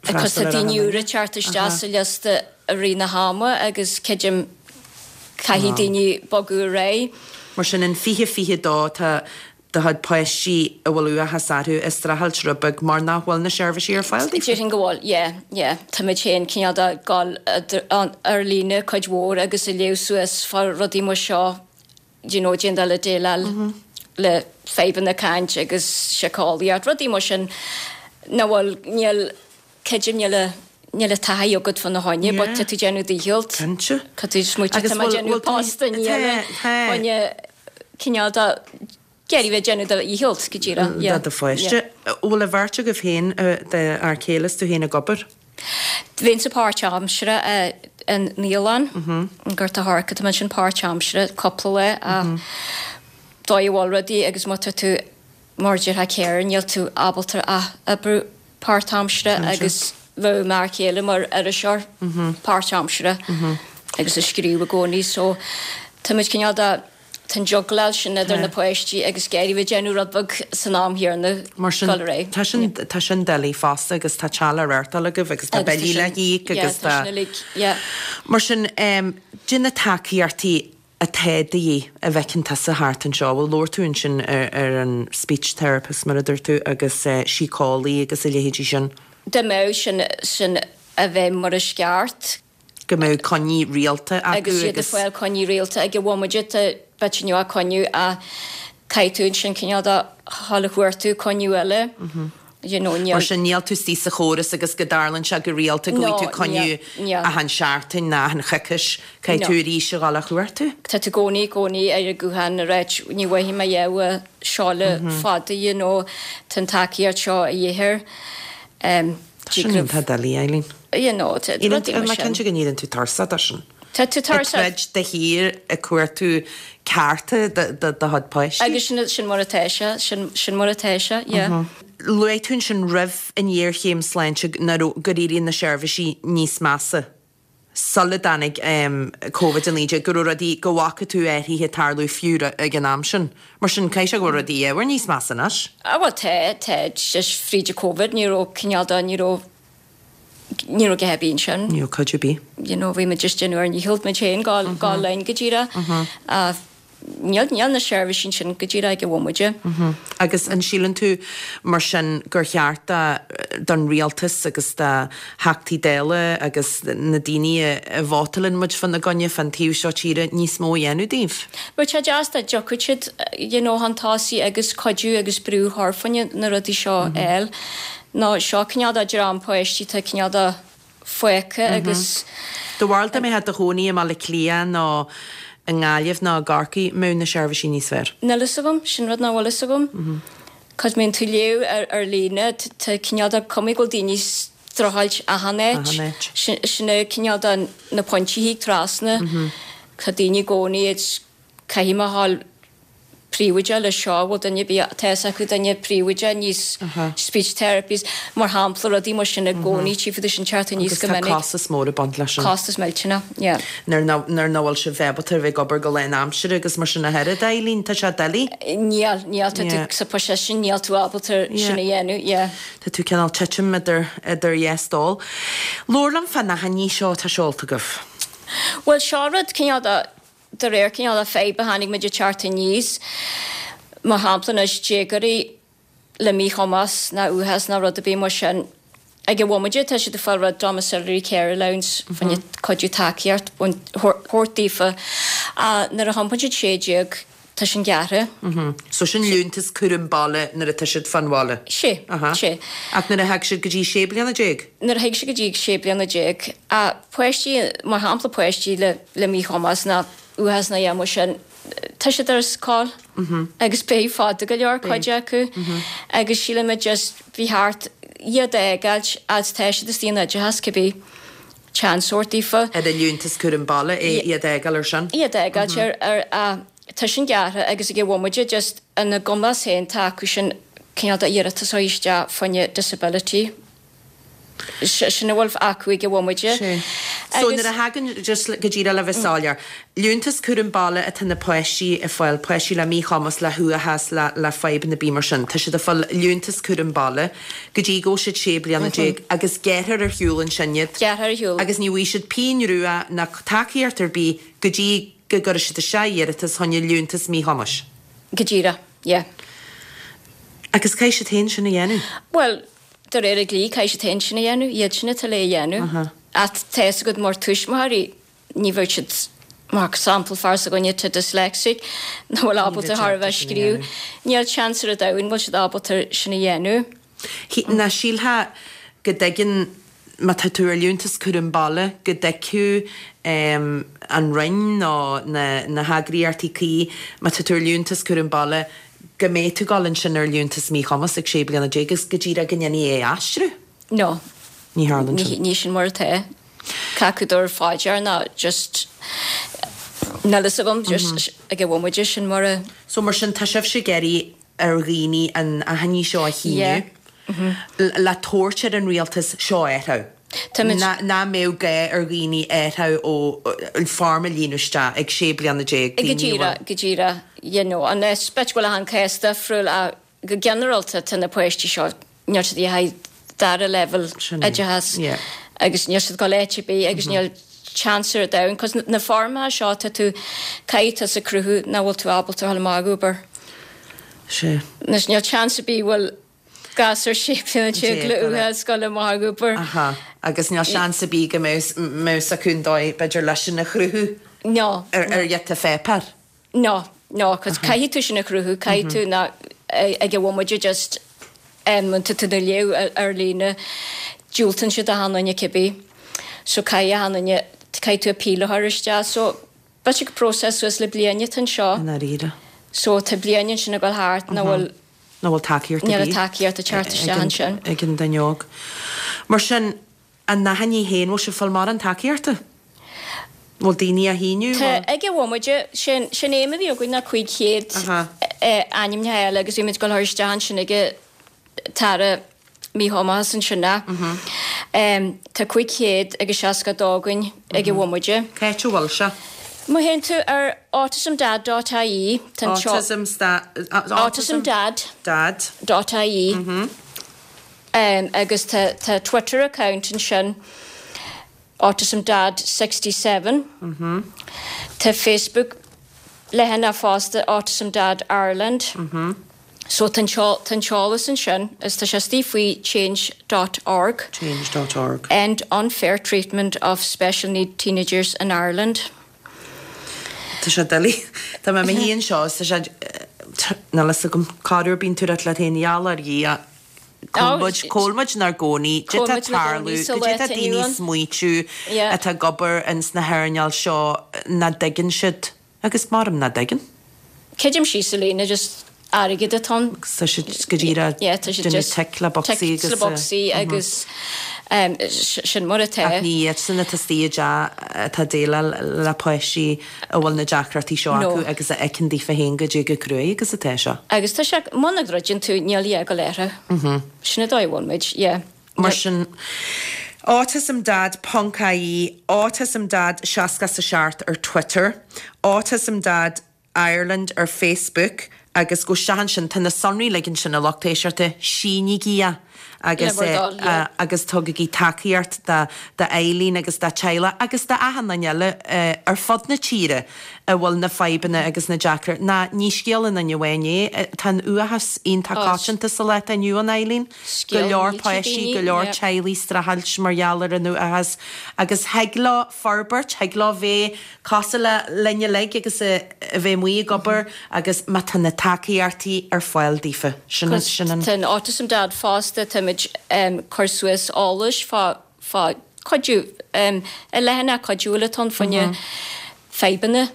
cos tá daoine úra ag teacht isteach sa liosta i rith na hama agus creidim caithfidh daoine bogadh ar aghaidh. Mar sin in 2022 tá do chuid páistí a bhfuil uathachas orthu ag streachailt rud beag mar nach bhfuil na seirbhísí ar fáil daofa? Déarfainn go bhfuil, yeah, yeah. Táimid féin cineál de ag dul ar líne cuid mhór agus ag léamh suas fá rudaí mar seo, you know, déan dul ag déileáil le fadhbanna caint agus síceolaíocht, rudaí mar sin nach bhfuil, níl, creidim níl a, níl an taithí agat fá na choinne but tá tú ag déanamh do dhícheall. Cinnte. Tá tú smaoitiú, tá mé ag déanamh post i ndiaidh fá choinne cineál de ag iarraidh bheith ag déanamh do dhícheall go díreach. Yeah. Do do pháiste. Bhfuil an bheirt agaibh féin, d'fhear céile is tú féin ag obair? Bheinnse páirtaimseartha i naíolann, i nGort a' Choirce, tá mé ansin páirtaimseartha cúpla lá ach dóigh a bhfuil rudaí agus má tá tú mar a déarfá carer níl tú ábalta ach oibriú páirtaimseartha agus bheadh m'fhear céile mar iriseoir páirtaimseartha agus ag scríobh i gcónaí so táimid cineál de tá an juggleáil sin idir na páistí agus ag iarraidh bheith ag déanamh rud beag san am chéanna Mar sin dul ar aghaidh. tá sin tá sin doiligh fosta agus tá teach le reáchtáil agaibh agus tá Agus tá billí le sin híoc yeah agus tá tá sin uilig yeah. Mar sin cad é na tacaíochtaí atá de dhíth a bhfeiceann tusa thart anseo? Bhuel labhair tú ansin ar an speech therapist mar a dúirt tú agus síceolaí agus a leithéidí sin. Dá mbeadh sin sin a bheith mar is ceart. Go mbeadh coinní rialta acu agus. Agus iad ag fáil coinní rialta ag an bhomaite tá bit nua coinniú ach caithfidh tú ansin cineál de dhul a chuartú coinniú eile. You know, níl. Mar sin níl tú istigh sa chóras agus go dtarlaíonn sé go rialta go No, bhfaighidh tú coinniú níl, níl. achan seachtain nó achan choicís, caithfidh No. tú arís a dhul a chuartú. Tá tú i gcónaí, i gcónaí ar an guthán ag ráit ní bhfaighidh mé a dhath seo le fada, you know, tá an tacaíocht seo a dhíth air. Um, Tá sin iontach doiligh, Eileen. You know, tá rudaí mar Tá sin. cinnte go n-éiríonn tú tuirseach de sin. Tá tú Ag tuirseach. troid de shíor ag cuartú cearta do do chuid páistí. Agus sin, sin mar atá sé, sin, sin mar atá sé, yeah. Luaigh tú ansin roimh an ghéarchéim sláinte nach raibh, gur éirigh na seirbhísí níos measa sula dtáinig Covid-19, go raibh rudaí, go bhfaca tú athruithe ag tarlú fiú ag an am sin. Mar sin, caithfidh sé go bhfuil rudaí ábhar níos measa anois. Ah bhuel tá, tá, just fríd an Covid ní raibh cineál de, ní raibh, ní raibh a dhath ar bith ansin. Ní raibh cuid ar bith. You know, bhí muid just déanamh ár ndícheall muid féin gabháil, gabháil linn go díreach. Ach níl, níl na seirbhísí ansin go díreach ag an bhomaite. Agus an síleann tú mar sin gur cheart do, don rialtas agus do Theachtaí Dála agus na daoine a vótálann muid fána gcoinne fán taobh seo tíre níos mó a dhéanamh daoibh? Bheadh sé deas dá dtiocfadh siad, you know, chun tosaigh agus cuidiú agus brú a chur fá choinne na rudaí seo a fháil. Nó seo cineál de dream páistí atá cineál de fágtha agus. Do bharúil dá mbeifeá i do chónaí i mBaile Átha Cliath nó i nGaillimh nó i gCorcaigh, mbeadh na seirbhísí níos fearr? Níl fhios agam, sin rud nach bhfuil fhios agam. Cos má bhíonn tú ag léamh ar líne, tá cineál de cuma go bhfuil daoine ag streachailt achan áit. Achan áit. Sin é cineál de na pointí a thig trasna. Tá daoine i gcónaí ag caithfidh mé a dhul. príobháideach le seo, bhfuil duine ar bith, tá fhios acu duine príobháideach níos speech therapies, mar shampla, rudaí mar sin i gcónaí, tchífidh tú sin teacht aníos Agus go tá minic. costas mór ag baint leis sin. Costas millteanach, yeah. Nuair nach nuair nach bhfuil sibh ábalta a bheith ag obair go lán-aimsire agus mar sin a thuilleadh, Eileen, tá sé doiligh. Níl, níl, tá tú Yeah. sa position, níl tú ábalta Yeah. sin a dhéanamh, yeah. Tá tú cineál titim idir idir dhá stól. Labhair liom fán achainí seo atá seolta agaibh. Bhuel, seo rud cineál de De réir cineál de fadhb a chonaic muid ag teacht aníos, mar shampla anois, déagóirí le míchumas ná uathachas ná rud ar bith mar sin, ag an bhomaite tá siad ag fáil rud domiciliary care allowance fá choinne cuidiú tacaíocht a thabhairt daofa ach nuair a thiompaíonn siad 16 tá sin gearrtha. So sin liúntas cúram baile nuair atá siad fán bhaile? Sé, sé. Ach nuair a thig siad go dtí 16 bliana? Nuair a thig siad go dtí 16 bliana, ach páistí, mar shampla páistí le le míchumas ná uathachas ná a dhath mar sin, tá siad ar scoil agus beidh fada go leor, cuid acu, agus sílimid just ba cheart iad a fhágáilt fhad tá siad istigh in oideachas cibé seans a thabhairt daofa. Ar an liúntas cúram baile é iad a fhágáil ar sin? Iad a fhágáilt ar ar a tá sin gearrtha agus ag an bhomaite just ina gcumas féin tá acu sin cineál de iarratas a chur isteach fá choinne disability. Sin a bhfuil acu ag an bhomaite. Sé. So nuair a thagann, just go díreach le bheith soiléir, liúntas cúram baile atá na páistí ag fáil, páistí le míchumas, le huathachas, le le fadhbanna ar bith mar sin, tá siad ag fáil liúntas cúram baile go dtí go bhfuil siad 16 bliana agus gearrthar ar shiúl ansin iad. Gearrthar ar shiúl. Agus ní bhfaighidh siad pingin rua ná tacaíocht ar bith go dtí go gcuirfidh siad isteach iarratas chun liúntas míchumais. Go díreach, yeah. Agus caithfidh siad féin sin a dhéanamh? Bhuel, De réir an dlí, caithfidh siad féin sin a dhéanamh, iad sin atá le a dhéanamh. Ach tá fhios agat mar tuismitheoirí, ní bheadh siad, mar sampla, fear s'againne atá dyslexic, nach bhfuil ábalta thar a bheith scríobh, níl seans ar an domhan go bhfuil siad ábalta sin a dhéanamh. Nach sílfeá go dtuigeann, má tá tú ar liúntas cúram baile, go dtuigfeadh an Roinn nó na heagraíochtaí cuí, má tá tú ar liúntas cúram baile, go mbeidh tú ag dul ansin ar liúntas míchumais ag 16 bliana agus go díreach go ndéanfaí é a aistriú? No. Ní tharlaíonn sin. Ní sin mar atá. Cé acu tabhairt fá dear ná just níl fhios agam just ag an bhomaite sin mar a. So mar sin tá sibhse ag iarraidh ar dhaoine an achainí seo a shíniú le tabhairt ar an rialtas seo a athrú. Táimid. Nach mbeadh gá ar dhaoine athrú ó form a líonadh isteach ag 16 bliana. Go díreach, go díreach, you know, an b'fhéidir go bhfuil achan cás difriúil ach go ginearálta tá na páistí seo, níl siad ag dul dara leibhéal oideachas agus níl siad ag dul áit ar bith agus níl chance ar domhan cos na foirmeacha seo tá tú, caithfidh tusa cruthú nach bhfuil tú ábalta a dhul amach ag obair. Sea. Anois níl chance ar bith bhfuil gasúr 16 bliana le uathachas ag dul amach ag obair. Aha. Agus níl seans ar bith go mbeadh fhios acu an dóigh, b'fhéidir, leis sin a chruthú No. ar ghiota pháipéir. No, no, cos caithfidh tú sin a chruthú, caithfidh tú ná ag an bhomaite just em tá tú ag léamh ar líne, diúltaíonn siad achan duine cibé. So caithfidh achan duine, caithfidh tú appeal a chur isteach. So b'fhéidir gur process suas le bliain atá anseo. I ndáiríre. So tá bliain ansin ag dul thart nach bhfuil Nach bhfuil tacaíocht ar Níl bith tacaíocht ag teacht isteach ansin. ag an duine óg. Mar sin, an achainí féin, bhfuil sibh ag fáil mórán tacaíochta? Bhfuil daoine á shíniú? Tá, ag an bhomaite, sé'n aidhm a bhí againn ná 500 ainmneacha eile agus bhí muid ag dul a chur isteach ansin ag an tAire Míchumais ansin ach tá 562 againn ag an bhomaite. Cá háit a bhfuil sé? Má théann tú ar autismdad dot ie, tá an teo. Autism Autismdad. Dad. Dot ie. Agus tá tá Twitter account ansin, autismdad 67. Tá Facebook leathanach fosta, Autism Dad Ireland. So tá an tá an t-eolas ansin is tá sé istigh faoi change dot org. Change dot org. End unfair treatment of special need teenagers in Ireland. Tá sé doiligh. Tá mé i mo shuí anseo is tá sé, níl fhios agam, corruair bíonn tú ag rá leat féin, gheall ar Dhia, Cá bhfuil muid, cá bhfuil muid inár gcónaí, cad é atá ag tarlú, cad é atá daoine ag smaoitiú atá ag obair ins na hearnáil seo nach dtuigeann siad, agus maram nach dtuigeann. Creidim síos sa líne just airgead atá ann. Tá siad go díreach Yeah, tá siad déanamh just tic le bocsaí tic agus le bocsaí agus. Sin mar atá. Ach ní iadsan atá istigh i dteach atá ag déileáil le páistí a bhfuil na deacrachtaí seo acu agus a fheiceann daofa féin goidé chomh cruaidh agus atá seo. Agus tá sé, muna dtroideann tú, níl a dhath ag dul orthu. Sin an dóigh a bhfuil muid, yeah. Mar sin, autismdad ponc ie, autismdad 67 ar Twitter, autismdad Ireland ar Facebook agus gabh isteach ansin, tá na sonraí uilig ansin a lucht éisteachta, sínígí é agus Le bhur dtoil, yeah. agus tugaigí tacaíocht do do Eileen agus dá teaghlach agus do achan duine eile ar fud na tíre a bhfuil na fadhbanna agus na deacra, ná ní scéal aon duine amháin é, tá an uathachas iontach Oh, coitianta sa lá atá inniu ann Eileen. Go scéal leor millteach páistí, daoine, go leor yeah. teaghlaigh streachailt mar gheall ar an uathachas agus thig leo forbairt, thig leo bheith cosúil le linn uilig agus a bheith amuigh ag obair agus má tá na tacaíochtaí ar fáil daofa. Sin sin an. Tá an Autism Dad fosta, táimid cur suas eolais fá fá cuidiú i leathanach cuidiúil atá ann fá choinne fadhbanna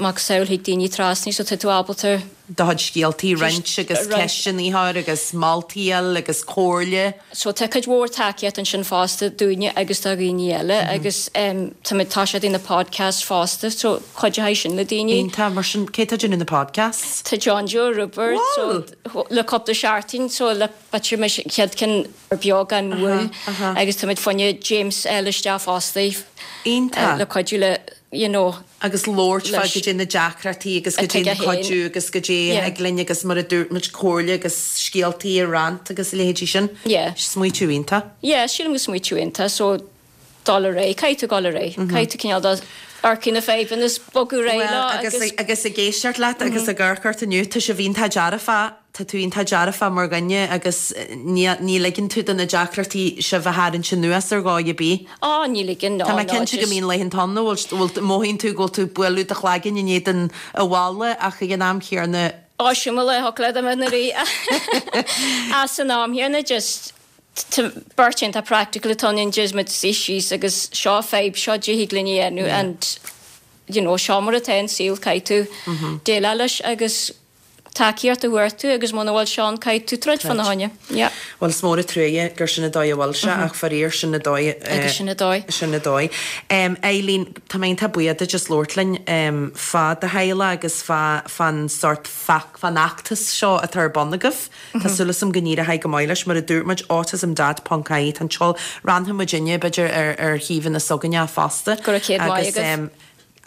macasamhail thig daoine trasna so tá tú ábalta. do chuid scéaltaí a roinnt agus ceisteanna a chur agus moltaí a fháil agus comhairle. So tá cuid mhór tacaíocht ansin fosta dúinne agus do dhaoine eile agus táimid tá siad ina podcast fosta so cuideoidh sin le daoine. Iontach, mar sin cé tá ag déanamh na podcasts? Tá John Joe Roibeard so le cúpla seachtain so le b'fhéidir mo chéad ceann ar beagán moill agus táimid fá choinne James a fháil isteach fosta le cuidiú le you know. agus labhairt fá goidé na deacrachtaí agus goidé an cuidiú agus goidé a thig linn agus mar a dúirt muid comhairle agus scéaltaí a roinnt agus a leithéidí sin. Yeah. Smaoitiú iontach. Yeah, sílim go smaoitiú iontach so dul ar aghaidh, caithfidh tú dul ar aghaidh, caithfidh tú cineál de amharc ar na fadhbanna is bogadh ar aghaidh leo agus. Bhuel agus ag éisteacht leat agus ag amharc ort inniu tá sibh iontach dearfach. Tá tú iontach dearfach mar dhuine agus ní ní ligeann tú do na deacrachtaí sibh a tharraingt anuas ar dhóigh ar bith. Á, ní ligeann, ná, Tá mé ná, cinnte go just. mbíonn laethanta ann a bhfuil bhfuil mothaíonn tú go bhfuil tú ag bualadh do chlaiginn in éadan an bhalla ach ag an am chéanna. Á, sin mo lá thug le dom na rí. Ach san am chéanna just tá beirt iontach practical atá ann just muid suí síos agus seo fadhb, seo goidé thig linn a dhéanamh and you know seo mar atá an saol caithfidh tú déileáil leis agus tacaíocht a thabhairt tú agus muna bhfuil sé ann caithfidh tú troid fána choinne. Yeah. Bhuel is mór an truaighe gur sin an dóigh a bhfuil sé ach faraor sin an dóigh. Agus sin an dóigh. Sin an dóigh. Eileen, tá mé iontach buíoch duit as labhairt linn fá do theaghlach agus fá fán sórt fán fheachtas seo atá ar bun agaibh. Tá súil agam go n-éireoidh go maith leis. Mar a dúirt muid, autismdad ponc ie tá an tseol. Roinnfidh muidinne b'fhéidir ar ar shuíomhanna s'againne fosta. Go raibh céad maith agaibh.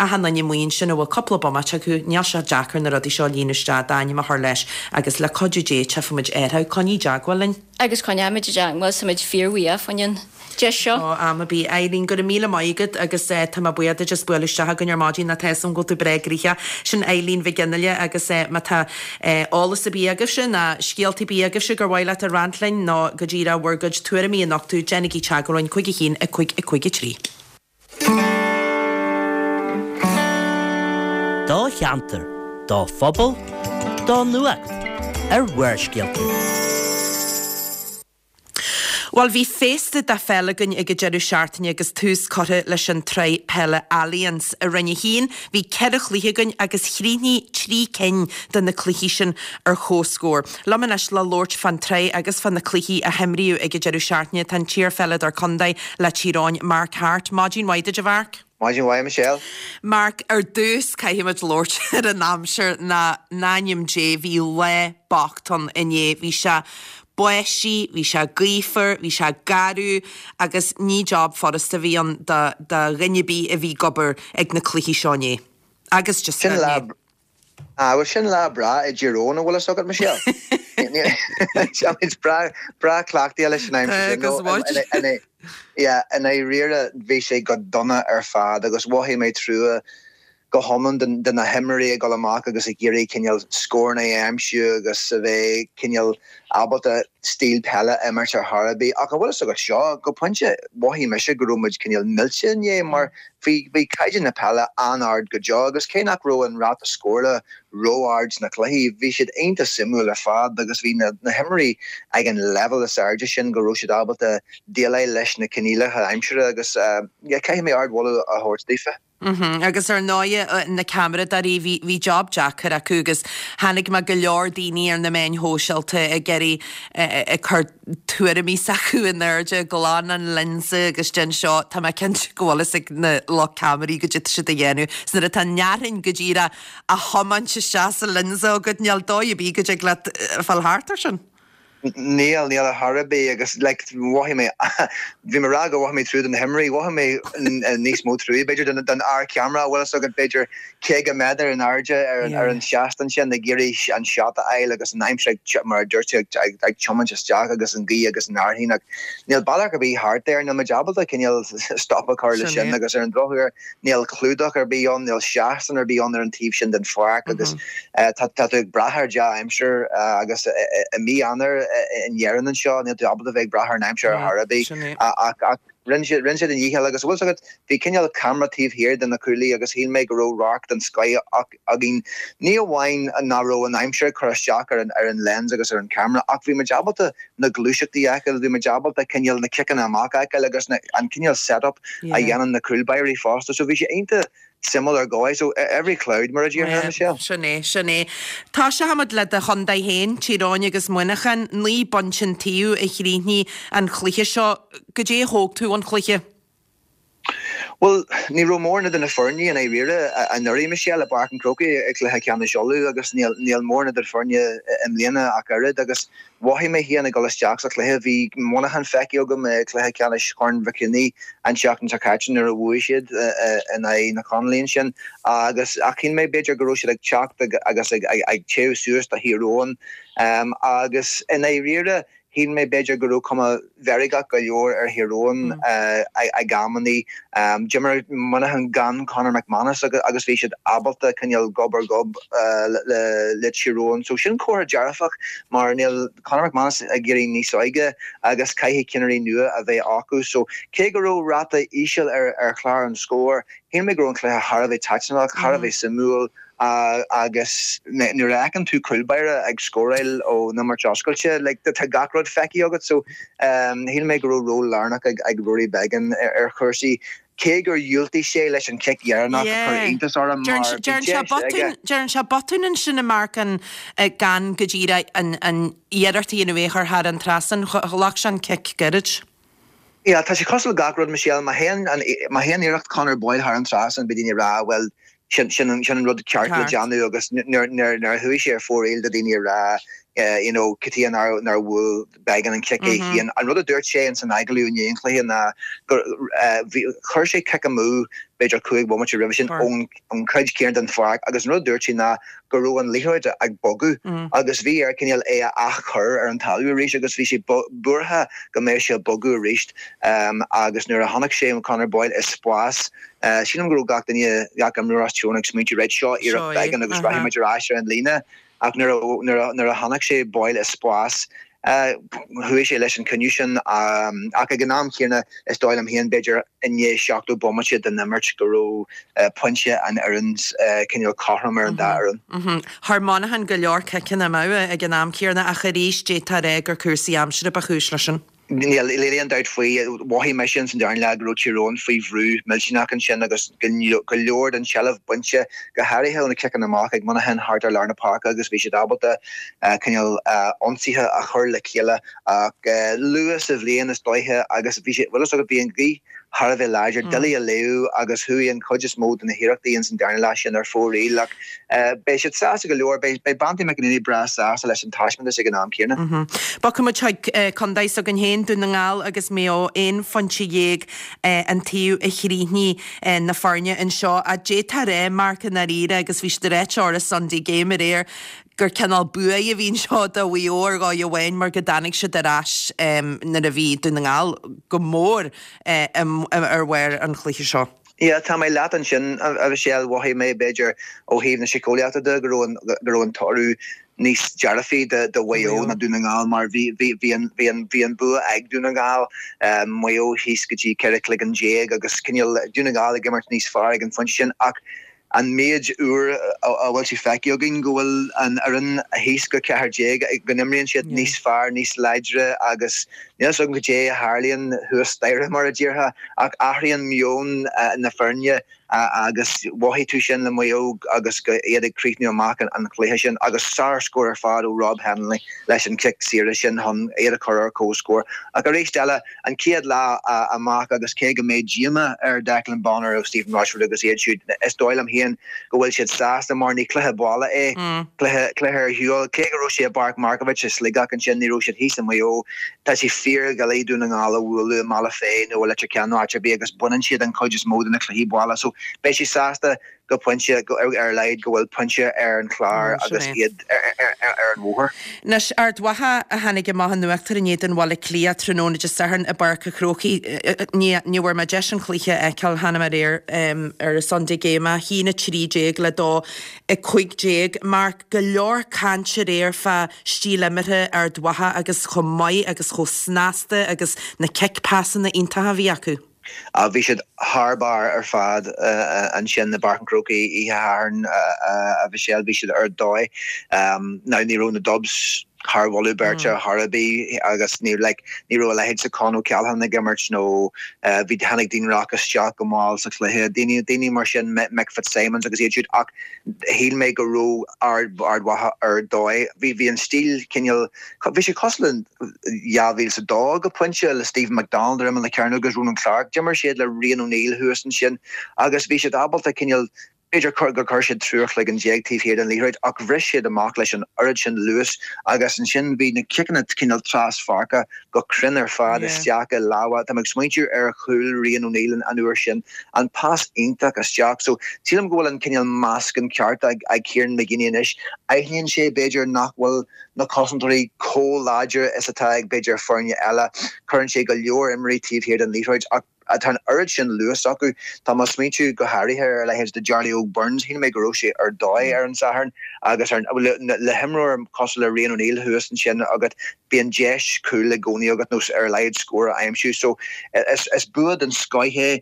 Achan duine amuigh ansin a bhfuil cúpla bomaite acu, níl sé deacair na rudaí seo a líonadh isteach, d'ainm a chur leis agus le cuidiú Dé tchífidh muid orthu. Coinnigh i dteagmháil linn. Agus coinneoimid i dteagmháil, táimid fíorbhuíoch fá choinne an deis seo. Ó, am ar bith. Eileen, go raibh míle maith agat agus tá mé buíoch duit as bualadh isteach chugainn ar maidin tá a fhios agam go bhfuil tú breá gnoitheach. Sin Eileen Mhic Fhionnghaile agus má tá eolas ar bith agaibhse ná scéalta ar bith agaibhse gur mhaith leat a roinnt linn nó go díreach bhur gcuid tuairimí a nochtadh, déanaigí teagmháil linn 5 1 5 5 3. Do cheantar, do phobal, do nuacht ar Bharrscéalta. Bhuel, bhí féasta de pheil againn ag an deireadh seachtaine agus tús curtha leis an tsraith peile Allianz. I Roinn 1, bhí ceithre chluiche againn agus chríochnaigh trí cinn de na cluichí sin ar comhscór. Liom anois le labhairt fán tsraith agus fá na cluichí a himríodh ag an deireadh seachtaine tá an t-iarpheileadóir contae le Tír Eoghain, Mark Harte. Maidin mhaith duit a Mharc. Maidin mhaith a Michelle. Mark, ar dtús caithfidh muid labhairt ar an aimsir ná in ainm Dé bhí lá bocht ann inné. Bhí sé báistí, bhí sé gaofar, bhí sé garbh agus ní job furasta a bhí ann do do dhuine ar bith a bhí ag obair ag na cluichí seo inné. Agus just Sin lá Ah, bhuel sin lá breá i dTír Eoghain, an bhfuil fhios agat, Michelle? Táimid breá, breá cleachtaithe leis an aimsir sin. Agus muid. Yeah, i ndáiríre bhí sé go dona ar fad agus mhothaigh mé trua go hiomlán de na himreoirí ag dul amach agus ag iarraidh cineál scóranna a aimsiú agus a bheith cineál ábalta stíl peile a imirt ar chor ar bith. Ach an bhfuil fhios agat seo, go pointe mhothaigh mise go raibh muid cineál millte inné mar Bhí bhí caighdeán na peile an-ard go deo agus cé nach raibh an ráta scórála ró-ard sna cluichí, bhí siad iontach suimiúil ar fad agus bhí na na himreoirí ag an leibhéal is airde sin go raibh siad ábalta déileáil leis na coinníollacha aimsire agus yeah caithfidh mé ardmholadh a thabhairt daofa. Agus ar ndóighe na ceamaradóirí, bhí, bhí job deacair acu agus chonaic mé go leor daoine ar na meáin shóisialta ag iarraidh, ag cur tuairimí s'acu in airde, glan an lionsa agus déan seo, tá mé cinnte go bhfuil fhios ag na lucht ceamaraí goidé atá siad a dhéanamh. 'S nuair atá an fhearthainn go díreach á thiomáint isteach sa lionsa agat, níl dóigh ar bith go dtig leat fáil thart ar sin. Níl, níl ar chor ar bith agus like mhothaigh mé, bhí mé ag rá go mhothaigh mé trua do na himreoirí, mhothaigh mé níos mó trua b'fhéidir don don fhear ceamara, bhfuil fhios agat b'fhéidir 50 méadar in airde ar an ar an seastán sin ag iarraidh an shot a fháil agus an aimsir ag mar a dúirt tú ag ag tiomáint isteach agus an ghaoth agus an fhearthainn ach níl bealach ar bith thart air, níl muid ábalta cineál stop a chur le sin agus ar an drochuair Níl clúdach ar bith ann, níl seastán ar bith ann ar an taobh sin den pháirc agus tá tú ag brath ar dea-aimsir agus i mí Eanáir in Éirinn anseo níl tú ábalta bheith ag brath ar an aimsir ar chor ar bith. Ach rinne siad a ndícheall agus bhfuil fhios agat, bhí cineál ceamara taobh thiar de na cúlaí agus shíl mé go raibh radharc den scoith againn. Ní amháin nach raibh an aimsir ag cur isteach ar an lens agus ar an cheamara ach bhí muid ábalta na gluaiseachtaí a fheiceáil, bhí muid ábalta cineál na ciceanna amach a fheiceáil agus an cineál set up a dhéanann na cúlbáirí fosta. So bhí sé iontach suimiúil ar dhóigh. So every cloud mar a déarfá, Michelle. Sin é, sin é. Toiseochaimid le do chontae féin, Tír Eoghain agus Muineachán, 9 bpointe an taobh a chríochnaigh an cluiche seo. Goidé a thóg tú ón chluiche? Bhuel, ní raibh mórán idir na foirne i ndáiríre anuraidh, Michelle, i bPáirc an Chrócaigh i gcluiche ceannais Uladh agus níl níl mórán idir foirne i mbliana ach oiread agus mhothaigh mé féin ag dul isteach sa chluiche, bhí Muineachán feicthe agam i gcluiche ceannais Chorn Mhic Cionnaith an tseachtain seo caite nuair a bhuaigh siad in aghaidh na Conallaigh ansin agus ach shíl mé b'fhéidir go raibh siad ag teacht agus ag ag téamh suas do Thír Eoghain agus i ndáiríre Shíl mé b'fhéidir go raibh cuma mheirgeach go leor ar Thír Eoghain ag amannaí. D'imir Muineachán gan Conor McManus agus bhí siad ábalta coinneáil gob ar ghob le Tír Eoghain. So sin comhartha dearfach mar níl Conor McManus ag éirí níos óige agus caithfidh cinnirí nua a bheith acu. So cé go raibh ráta íseal ar chlár an scóir, shíl mé go raibh an cluiche thar a bheith taitneamhach, thar a bheith suimiúil. Agus nuair a fheiceann tú cúlbáire ag scóráil ón imirt oscailte, like, tá gach rud feicthe agat. So, shíl mé go raibh ról lárnach ag Rory Beggan ar chúrsaí, cé gur dhiúltaigh sé leis an chic dheireanach a chuir iontas orm mar bhí deis aige. Déarfainn sé botún ansin a Mharc an gan go díreach an iarracht a dhéanamh é a chur thar an trasnán, ghlac sé an cic gairid. Yeah, tá sé cosúil le gach rud, Michelle, má théann an, má théann iarracht Conor Boyle thar an trasnán, beidh daoine ag rá, bhuel, sin, sin an, sin an rud ceart le déanamh agus nuair, nuair, nuair a chuaigh sé ar fóraoil do daoine ag rá, you know, cad chuige nár, nár bhuail Beggan an cic é féin. An rud a dúirt sé ins an agallamh i ndiaidh an chluiche ná gur, bhí, chuir sé cic amú b'fhéidir 5 bhomaite roimhe sin ón, an chuid céanna den pháirc agus an rud a dúirt sé ná go raibh an liathróid ag bogadh agus bhí air cineál é a athchur ar an talamh arís agus bhí sé buartha go mbeadh sé ag bogadh arís agus nuair a chonaic sé Conor Boyle i spás, sílim go raibh gach duine, gach imreoir as Tír Eoghain ag smaointiú right seo iarracht Beggan agus rachaidh muid ar ais ar an líne ach nuair a chonaic sé Boyle i spás, Chuaigh sé leis an cinneadh sin ach ag an am chéanna is dóigh liom féin, b'fhéidir i ndiaidh 70 bomaite den imirt go raibh pointe an fhoireann cineál cothrom ar an dá fhoireann. Chuir Monaghan go leor ciceanna amú ag an am céanna ach arís d'fhéadfá a rá gur cúrsaí aimsire ba chúis leis sin. Níl aon dabht faoi. Mhothaigh mise ins an darna leath go raibh Tír Eoghain faoi bhrú millteanach ansin agus go leor den tseilbh bainte, go háirithe ó na ciceanna amach ag Monaghan thart ar lár na páirce agus bhí siad ábalta cineál ionsaithe a chur le chéile ach luath sa bhliain is dóiche agus bhí sé, bhfuil fhios agat, bhí an ghaoth thar a bheith láidir, doiligh a léamh agus chuaigh an chuid is mó de na hiarrachtaí ins an darna leath sin ar fóraoil ach beidh siad sásta go leor, beidh Banty McEnaney breá sásta leis an taispeántas ag an am céanna. Bogfaidh muid chuig contae s'againn féin, Dún na nGall agus Maigh Eo, 11 phointe an taobh a chríochnaigh na foirne anseo. D'fhéadfá a rá, Marc, i ndáiríre, agus bhí siad ag ráit ar an Sunday Game aréir, gur cineál buaidh a bhí anseo do Mhaigh Eo ar dhóigh amháin mar go dtáinig siad ar ais nuair a bhí Dún na nGall go mór ar bharr an chluiche seo. Yeah, tá mé leat ansin, a Mhichelle. Mhothaigh mé, b'fhéidir, ó thaobh na síceolaíochta de, go raibh an, go raibh an toradh níos dearfaí do Mhaigh Eo ná Dún na nGall mar bhí, bhí, bhí an, bhí an, bhí an bua ag Dún na nGall, Maigh Eo thíos go dtí 14 cloigeann agus cineál Dún na nGall ag imirt níos fearr ag an phointe sin ach An méid uair a bhfuil sé feicthe againn go bhfuil an fhoireann thíos go 14, go n-imríonn siad níos fearr, níos láidre agus Níl a fhios agam goidé a tharlaíonn thuas staighre mar a déarfá ach athraíonn meon na foirne agus mhothaigh tú sin le Maigh Eo agus iad ag críochnú amach an chluiche sin agus sár-scór ar fad ó Rob Hennelly leis an chic saoire sin chun iad a chur ar comhscór. Ach arís eile, an chéad lá amach agus cé go mbeidh díomá ar Declan Bonner agus Stephen Rochford agus iad siúd, is dóigh liom féin go bhfuil siad sásta mar ní cluiche baile é, cluiche cluiche ar shiúl. Cé go raibh sé i bPáirc Markievicz i Sligeach ansin, ní raibh siad thíos i Maigh Eo. Tá sé fíordhoiligh Dún na nGall a bhualadh i mBealach Féich nó i Leitir Ceanainn nó áit ar bith agus baineann siad an chuid is mó de na cluichí baile so beidh siad sásta go pointe, ar a laghad, go bhfuil pointe ar an chlár agus iad ar an bhóthar. Anois, Ard Mhacha a tháinig amach in uachtar in éadan Bhaile Átha Cliath tráthnóna Dé Sathairn i bPáirc an Chrócaigh. Ní bhfuair mé deis an cluiche a fheiceáil, tháinig mé aréir ar an Sunday Game, 1-13 le 2-15. Mark, go leor cainte aréir fá stíl imeartha Ard Mhacha agus chomh maith agus chomh snasta agus na cic pasanna iontacha a bhí acu. Bhí siad thar barr ar fad ansin i bPáirc an Chrócaigh oíche Shathairn, a Mhichelle. Bhí siad ar dóigh. Now ní raibh na Dubs thar mholadh beirte chor ar bith agus ní like ní raibh a leithéid de Con O'Callaghan ag imirt nó bhí tháinig Dean Rock isteach go mall sa chluiche. Daoine daoine mar sin Mick Fitzsimons agus iad siúd ach shíl mé go raibh Ard Ard Mhacha ar dóigh. Bhí bhí an stíl cineál Bhí sé cosúil le 2002 go pointe le Stephen McDonald ar imeall na cearnóige agus Ronan Clarke. D'imir siad le Rian O'Neill thuas ansin agus bhí siad ábalta cineál, b'fhéidir gur chuir siad triúr chloigeann taobh thiar den liathróid ach bhris siad amach leis an oiread sin luas agus ansin bhí na ciceanna cineál traspháirce go cruinn ar fad isteach i lámha. Tá mé ag smaointiú ar chúl Rian O'Neill an uair sin, an pas iontach isteach. So sílim go bhfuil an cineál meascán ceart ag Kieran McGeeney anois. Aithníonn sé b'fhéidir nach bhfuil na cosantóirí chomh láidir is atá ag b'fhéidir foirne eile. Cuireann sé go leor imreoirí taobh thiar den liathróid ach tá an oiread sin luas acu. Tá mé ag smaointiú go háirithe ar a leithéid de Charlie Óg Burns. Shíl mé go raibh sé ar dóigh ar an Satharn agus le himreoir cosúil le Rian O'Neill thuas ansin agat, bíonn deis cúl i gcónaí agat nó ar a laghad scór a aimsiú. So is bua den scoith é.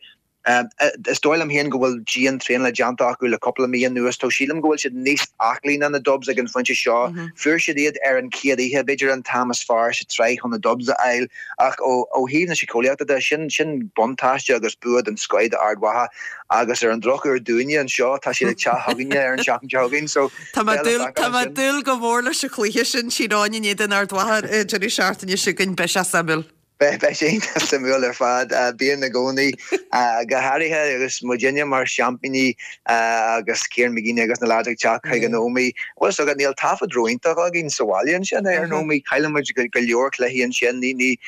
Is dóigh liom féin go bhfuil dian-traenáil déanta acu le cúpla mí anuas. Tá sílim go bhfuil siad níos aclaí ná na Dubs ag an phointe seo. Fuair siad iad ar an chéad oíche, b'fhéidir an t-am is fearr sa tsraith chun na Dubs a fháil. Ach ó thaobh na síceolaíochta de, sin sin buntáiste agus bua den scoith d'Ard Mhacha. Agus ar an drochuair dúinne anseo, tá siad ag teacht chugainne ar an tseachtain seo chugainn. So, Tá mé ag dúil go mór leis an chluiche sin, Tír Eoghain in éadan Ard Mhacha an deireadh seachtaine seo chugainn. Beidh sé suimiúil. Beidh sé iontach suimiúil ar fad. Bíonn i gcónaí, go háirithe agus muidinne mar seaimpíní agus Kieran McGeeney agus na lads ag teacht chuig an Ómaigh. Bhfuil fhios agat, níl taifead ró-iontach againn sa bhaile ansin ar an Ómaigh. Cailleann muid go leor cluichí ansin. Ní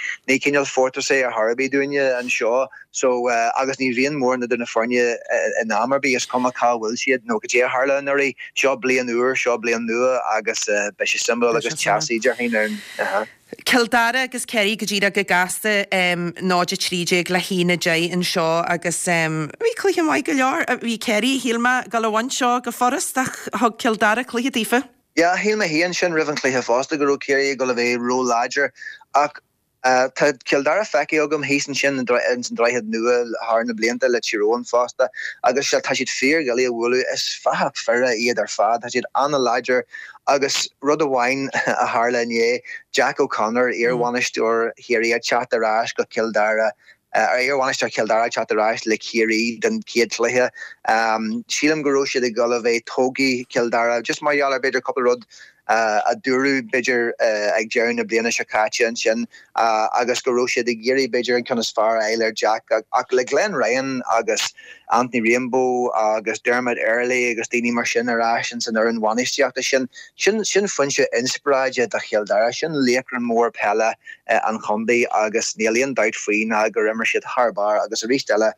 cineál fortress é ar chor ar bith dúinne anseo. So, agus ní bhíonn mórán idir na foirne in am ar bith, is cuma cá bhfuil siad nó cad é a tharla anuraidh. Seo bliain úr, seo bliain nua agus beidh sé suimiúil agus teasaí, déarfainn, ar an. Cill Dara agus Ciarraí go díreach go gasta, 0-13 le 1-10 anseo agus bhí cluiche maith go leor. Bhí Ciarraí, shíl mé, ag dul a bhaint seo go furast ach thug Cill Dara cluiche daofa. Yeah, shíl mé féin sin roimh an chluiche fosta go raibh Ciarraí ag dul a bheith ró-láidir ach tá Cill Dara feicthe agam thíos ansin ins an Droichead Nua thar na blianta le Tír Eoghain fosta agus tá siad fíordhoiligh a bhualadh. Is fathach fir iad ar fad, tá siad an-láidir Agus rud amháin a tharla inné, Jack O'Connor, iarbhainisteoir Chiarraí ag teacht ar ais go Cill Dara, iarbhainisteoir Chill Dara ag teacht ar ais le Ciarraí don chéad chluiche. Sílim go raibh siad ag dul a bheith tógtha Cill Dara, just mar gheall ar b'fhéidir cúpla rud a dúradh b'fhéidir ag deireadh na bliana seo caite ansin agus go raibh siad ag iarraidh b'fhéidir an ceann is fearr a fháil ar Jack. Ach le Glenn Ryan agus Anthony Rainbow agus Dermot Earley agus daoine mar sin ar ais ins an fhoireann bhainistíochta sin, sin, sin foinse inspioráide do Chill Dara, sin laochra mór peile an chontae agus níl aon dabht faoi ná gur imir siad thar barr agus arís eile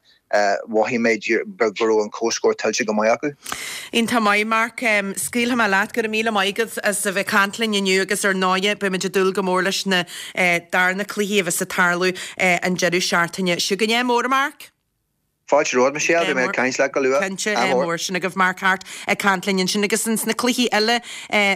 mhothaigh mé go raibh an comhscór tuillte go maith acu. Iontach maith, Mark. Scaoilfidh mé leat. Go raibh míle maith agat as a bheith ag caint linn inniu agus ar ndóighe beimid ag dúil go mór leis na darna cluichí a bheas ag tarlú an deireadh seachtaine seo chugainn. Ádh mór, a Mark! Fáilte romhat, Michelle. Beidh mé ag caint leat go luath. Cinnte, ádh mór. Sin agaibh Mark Harte ag caint linn ansin. Agus ins na cluichí eile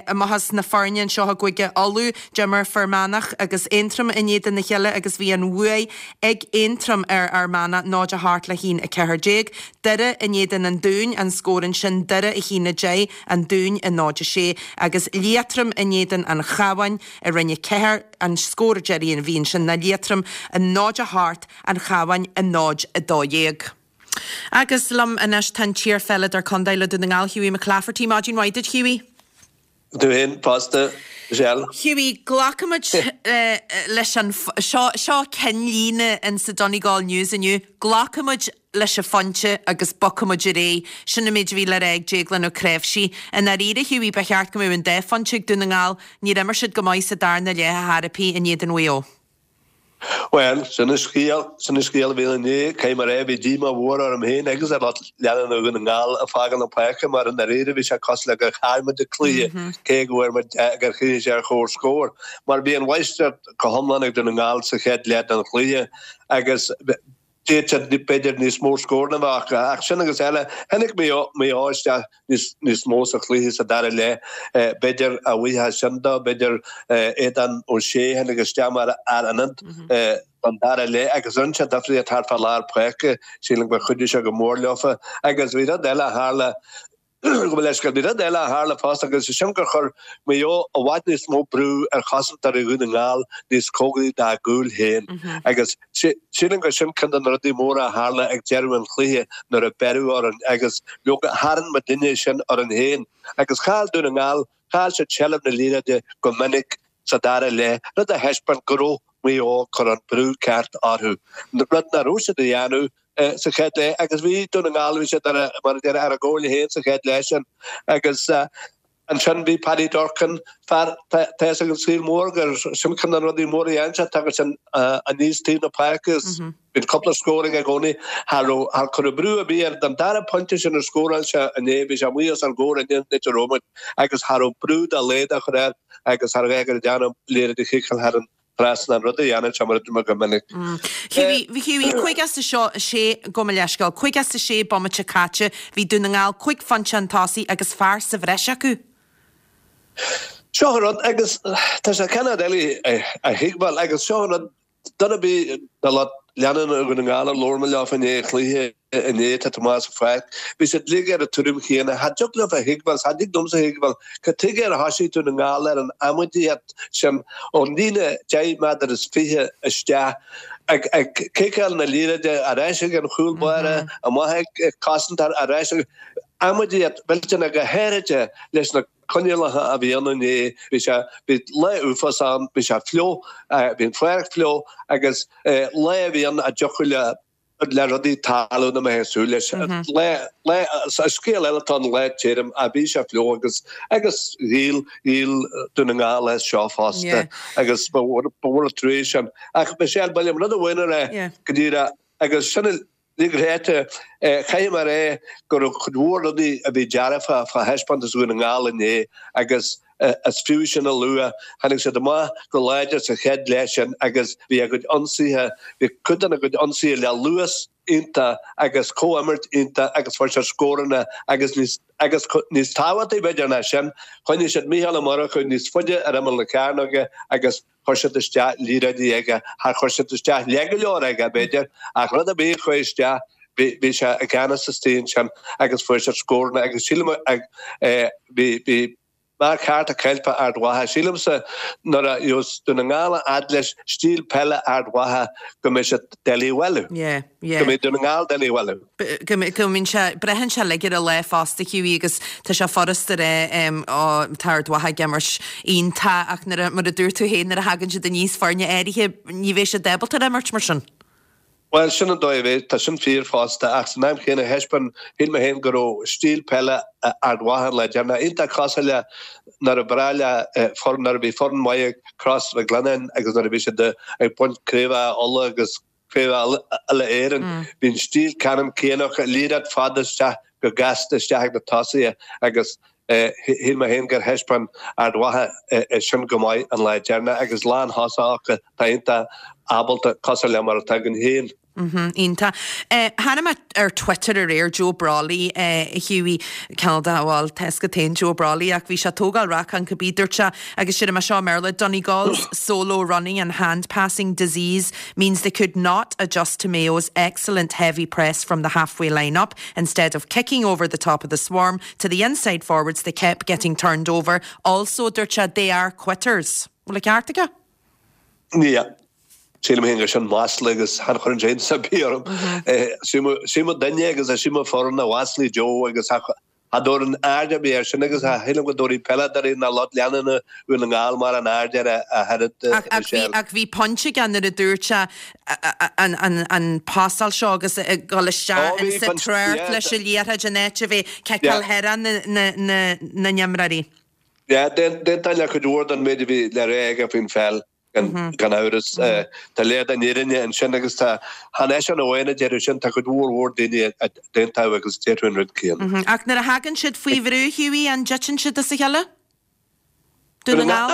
amach as na foirne anseo i gCúige Uladh, d'imir Fear Manach agus Aontroim in éadan a chéile agus bhí an bhuaidh ag Aontroim ar Fhear Manach, 0-8 le 1-14. Doire in éadan an Dúin, an scór ansin Doire 1-10, An Dún 0-6. Agus Liatroim in éadan an Chabháin i Roinn 4. An scór deiridh a bhí ansin ná Liatroim 0-8, An Chabhán 0-12. Agus liom anois tá an t-iarpheileadóir contae le Dún na nGall, Hughie McClafferty. Maidin mhaith duit, Hughie. Tú féin fosta, Michelle. Hughie, glacfaimid leis an, seo, seo ceannlíne in sa Donegal News inniu, glacfaimid leis an phointe agus bogfaimid ar aghaidh. Sin an méid a bhí le rá ag Déaglán Ó Cnáimhsí. I ndáiríre, Hughie, ba cheart go mbeadh an dá phointe ag Dún na nGall. Níor imir siad go maith sa darna leath ar chor ar bith in éadan Mhaigh Eo. Bhuel, sin an scéal, sin an scéal a bhí ann inné. Caithfidh mé a rá, bhí díomá mhór orm féin agus ar lucht leanúna Dhún na nGall ag fágáil na páirce mar i ndáiríre bhí sé cosúil le gur chaill muid an cluiche cé go bhfuair muid, gur chríochnaigh sé ar chomhscór. Mar bhí an mháistreacht go hiomlán ag Dún na nGall sa chéad leath den chluiche agus d'fhéadfadh siad b'fhéidir níos mó scóranna a bheith acu. Ach sin agus eile, tháinig Maigh Eo isteach níos mó sa chluiche sa dara leath. B'fhéidir a bhuíochas sin dó, b'fhéidir Aodán Ó Sé a tháinig isteach mar fhear ionaid don dara leath agus rinne sé difríocht thart fá lár páirce. Sílim gur chuidigh sé go mór leofa. Agus bhí rud eile a tharla. Gabh mo leithscéal. Bhí rud eile a tharla fosta agus is é sin gur chuir Maigh Eo i bhfad níos mó brú ar chosantóirí Dhún na nGall níos cóngaraí dá gcúil féin agus sílim gur sin ceann de na rudaí móra a tharla ag deireadh an chluiche nuair a beireadh orainn agus leoga tharraing muidinne sin orainn féin agus chaill Dún na nGall, chaill siad seilbh na liathróide go minic sa dara leath, rud a thaispeáin go raibh Maigh Eo ag cur an brú ceart orthu, rud nach raibh siad a dhéanamh sa chéad leath agus bhí Dún na nGall, bhí siad ar, mar a déarfá, ar a gcomhairle féin sa chéad leath sin agus ansin bhí Paddy Durcan, fear, tá fhios ag an saol mór gur sin ceann de na rudaí móra a dhéanann sé, tagann sé aníos taobh na páirce agus bíonn cúpla scór aige i gcónaí. Cha raibh, char cuireadh brú ar bith air don dara pointe sin a scóráil sé inné, bhí sé amuigh os ár gcomhair inné an áit a raibh muid agus cha raibh brú dá laghad á chur air agus cha raibh air ag déanamh liathróid a chiceáil thar an trasnán, rud a dhéanann sé mar a dúirt mé go minic. Hughie, Hughie, 56, gabh mo leithscéal, 56 bomaite caite, bhí Dún na nGall 5 phointe chun tosaigh agus fear sa bhreis acu. Seo an rud, agus tá sé cineál doiligh a thuigbheáil, agus seo an rud, Duine ar bith de lucht leanúna Dhún na nGall ar labhair mé leo i ndiaidh an chluiche inné, tá Tomás sa pháirc, bhí siad uilig ar an tuairim chéanna. Cha dtig leo a thuigbheáil, cha dtig liomsa a thuigbheáil, cad tuige ar thosaigh Dún na nGall ar an amaidíocht sin ón líne deich méadar is 20 isteach, ag ciceáil na liathróide ar ais ag an chúl báire, amach ag cosantóir, ar ais ag. Amaidíocht mhillteanach go háirithe leis na. coinníollacha a bhí ann inné, bhí sé, bhí lá uafásach ann, bhí sé fliuch, bhí an pháirc fliuch agus lá a bhí ann a dtiocfadh le, le rudaí tarlú nach mbeifeá ag súil leis. Lá, lá, scéal eile atá ann lá tirim ach bhí sé fliuch agus, agus dhíol, dhíol Dún na nGall as seo fosta agus ba mhór, ba mhór an trua sin. Ach Michelle, ba liom rud amháin a rá go díreach agus sin an, Ní ráite, caithfidh mé a rá go raibh cuid mhór rudaí a bhí dearfa fá thaispeántas Dhún na nGall inné agus is fiú sin a lua. Tháinig siad amach go láidir sa chéad leath sin agus bhí a gcuid ionsaithe, bhí cuid dena gcuid ionsaithe le luas iontach agus comhimirt iontach agus fuair siad scóranna agus níos agus níos tábhachtaí b'fhéidir ná sin, choinnigh siad Mícheál Ó Murchú níos faide ar imeall na cearnóige agus Chuir siad isteach liathróidí aige, char chuir siad isteach le go leor aige, b'fhéidir, ach rud ar bith a chuaigh isteach, bhí, bhí sé i gceannas istigh ansin agus fuair siad scóranna agus sílim bhí, bhí marc ceart ag caint fá Ard Mhacha. Sílimse nuair a gheobhas Dún na nGall a fhad leis stíl peile Ard Mhacha go mbeidh siad doiligh a bhualadh. Yeah, yeah. Go mbeidh Dún na nGall doiligh a bhualadh. Go mbíonn sé, braitheann sé uilig ar an lá fosta, Hughie, agus tá sé furasta a rá, ó, tá Ard Mhacha ag imirt iontach ach nuair a, mar a dúirt tú féin, nuair a thagann siad aníos foirne áirithe, ní bheidh siad ábalta ar imirt mar sin. Bhuel, sin an dóigh a bheidh, tá sin fíor fosta, ach san am chéanna thaispeáin, shíl mé féin go raibh stíl peile Ard Mhacha an lá deireanach iontach cosúil le nuair a ba bhreá le foireann, nuair a bhí foireann mhaith ag Crois Mhic Lionnáin agus nuair a bhí siad ag baint craobhacha Uladh agus craobhacha Uile-Éireann, bhí an stíl ceannann céanna acu, liathróid fada isteach go gasta isteach ag na tosaithe agus shíl mé féin gur thaispeáin Ard Mhacha é sin go maith an lá deireanach agus lánthosach acu atá iontach ábalta cosúil le mar atá againn féin. Iontach. Chonaic mé ar Twitter aréir Joe Brolly, a Hughie, cineál de, bhuel, tá fhios agat féin Joe Brolly ach bhí sé ag tógáil racán cibé, dúirt sé, agus déarfaidh mé seo i mBéarla, Donegal's solo running and hand passing disease means they could not adjust to Mayo's excellent heavy press from the halfway line up. Instead of kicking over the top of the swarm to the inside forwards they kept getting turned over. Also, dúirt sé, they are quitters. Bhfuil an ceart aige? Yeah. Sílim féin gur sin masla agus chan chuireann sé iontas ar bith orm. Is iomaí duine agus is iomaí foireann a mhaslaigh Joe agus cha dtabharfainn aird ar bith air sin agus cha shílim go dtabharfaidh peileadóirí ná lucht leanúna Dhún na nGall mórán aird air ach oiread, Michelle. Ach bhí pointe aige nuair a dúirt sé an pasáil seo agus ag dul isteach in sa treocht leis an liathróid in áit a bheith ciceáil thar na n-imreoirí. Yeah, d'aontóinn le cuid mhór den méid a bhí le rá aige faoin pheil, gan amhras. Tá léir den fhírinne ansin agus tá, chan eisean amháin a déarfadh sin, tá cuid mhór mhór daoine a d'aontódh agus a déarfadh an rud céanna. Ach nuair a thagann siad faoi bhrú, Hughie, an dtiteann siad as a chéile? Dún na nGall?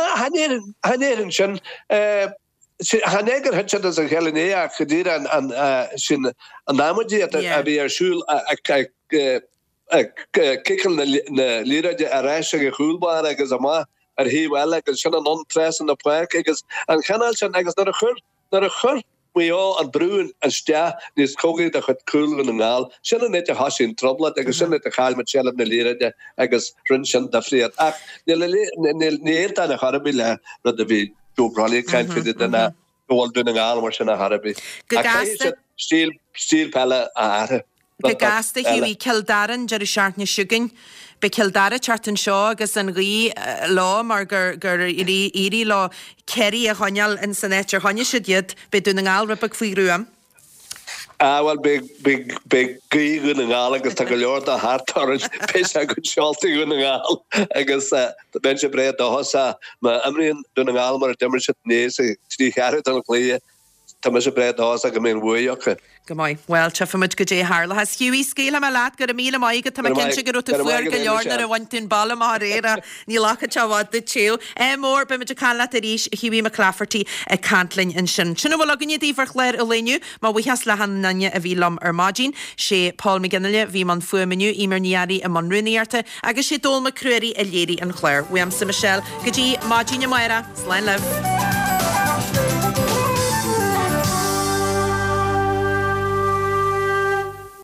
Chan déarfainn sin. Chan é gur thit siad as a chéile inné ach go díreach an sin an amaidí a bhí ar siúl ag ag ciceáil na liathróide ar ais ag an chúl báire agus amach ar thaobh eile agus sin anonn trasna na páirce agus an chineál sin agus nuair a chuir nuair a chuir Maigh Eo an brú isteach níos cóngaraí do chuid cúl Dhún na nGall sin an áit a thosaigh an trioblóid agus sin an áit a chaill muid seilbh na liathróide agus rinne sin difríocht ach níl níl ní aontóinn ar chor ar bith le rud a bhí Joe Brolly ag caint faoi de ná go bhfuil Dún na nGall mar sin ar chor ar bith Go ach caithfidh gasta. siad stíl stíl peile a athrú. Go gasta, Hughie, Cill Dara an deireadh seachtaine seo chugainn. Beidh Cill Dara ag teacht anseo agus an ghaoth leo mar gur gur éirigh leo Ciarraí a choinneáil in san áit ar choinnigh siad iad. Beidh Dún na nGall rud beag faoi ghruaim. Ah bhuel beidh beidh beidh gaoth Dhún na nGall agus tá go leor de thart orainn. Beidh sé go seolta Dhún na nGall agus bheinnse breá dóchasach má imríonn Dún na nGall mar a d'imir siad inné sa trí cheathrú den chluiche. Tá mise breá dóchasach go mbeidh an bhuaidh acu. Go maith. Bhuel, tchífidh muid goidé a tharlóchas. Hughie, scaoilfidh mé leat, go raibh míle maith agat. Tá mé cinnte go raibh tú fuar go leor nuair a bhain tú an ball amach aréir ach ní ghlacfadh sé i bhfad duit téamh. Ádh mór, beidh muid ag caint leat arís, a Hughie McClafferty ag caint linn ansin. Sin a bhfuil againne daoibh ar chlár an lae inniu. Mo bhuíochas le hachan nduine a bhí liom ar maidin. Sé Paul McGinley a bhí i mbun fuaime inniu, Eimear Ní Fhearraigh i mbun rúnaíochta agus sé Dónal Mac Ruairí a léirigh an clár. Uaimse Michelle, go dtí maidin amárach. Slán libh.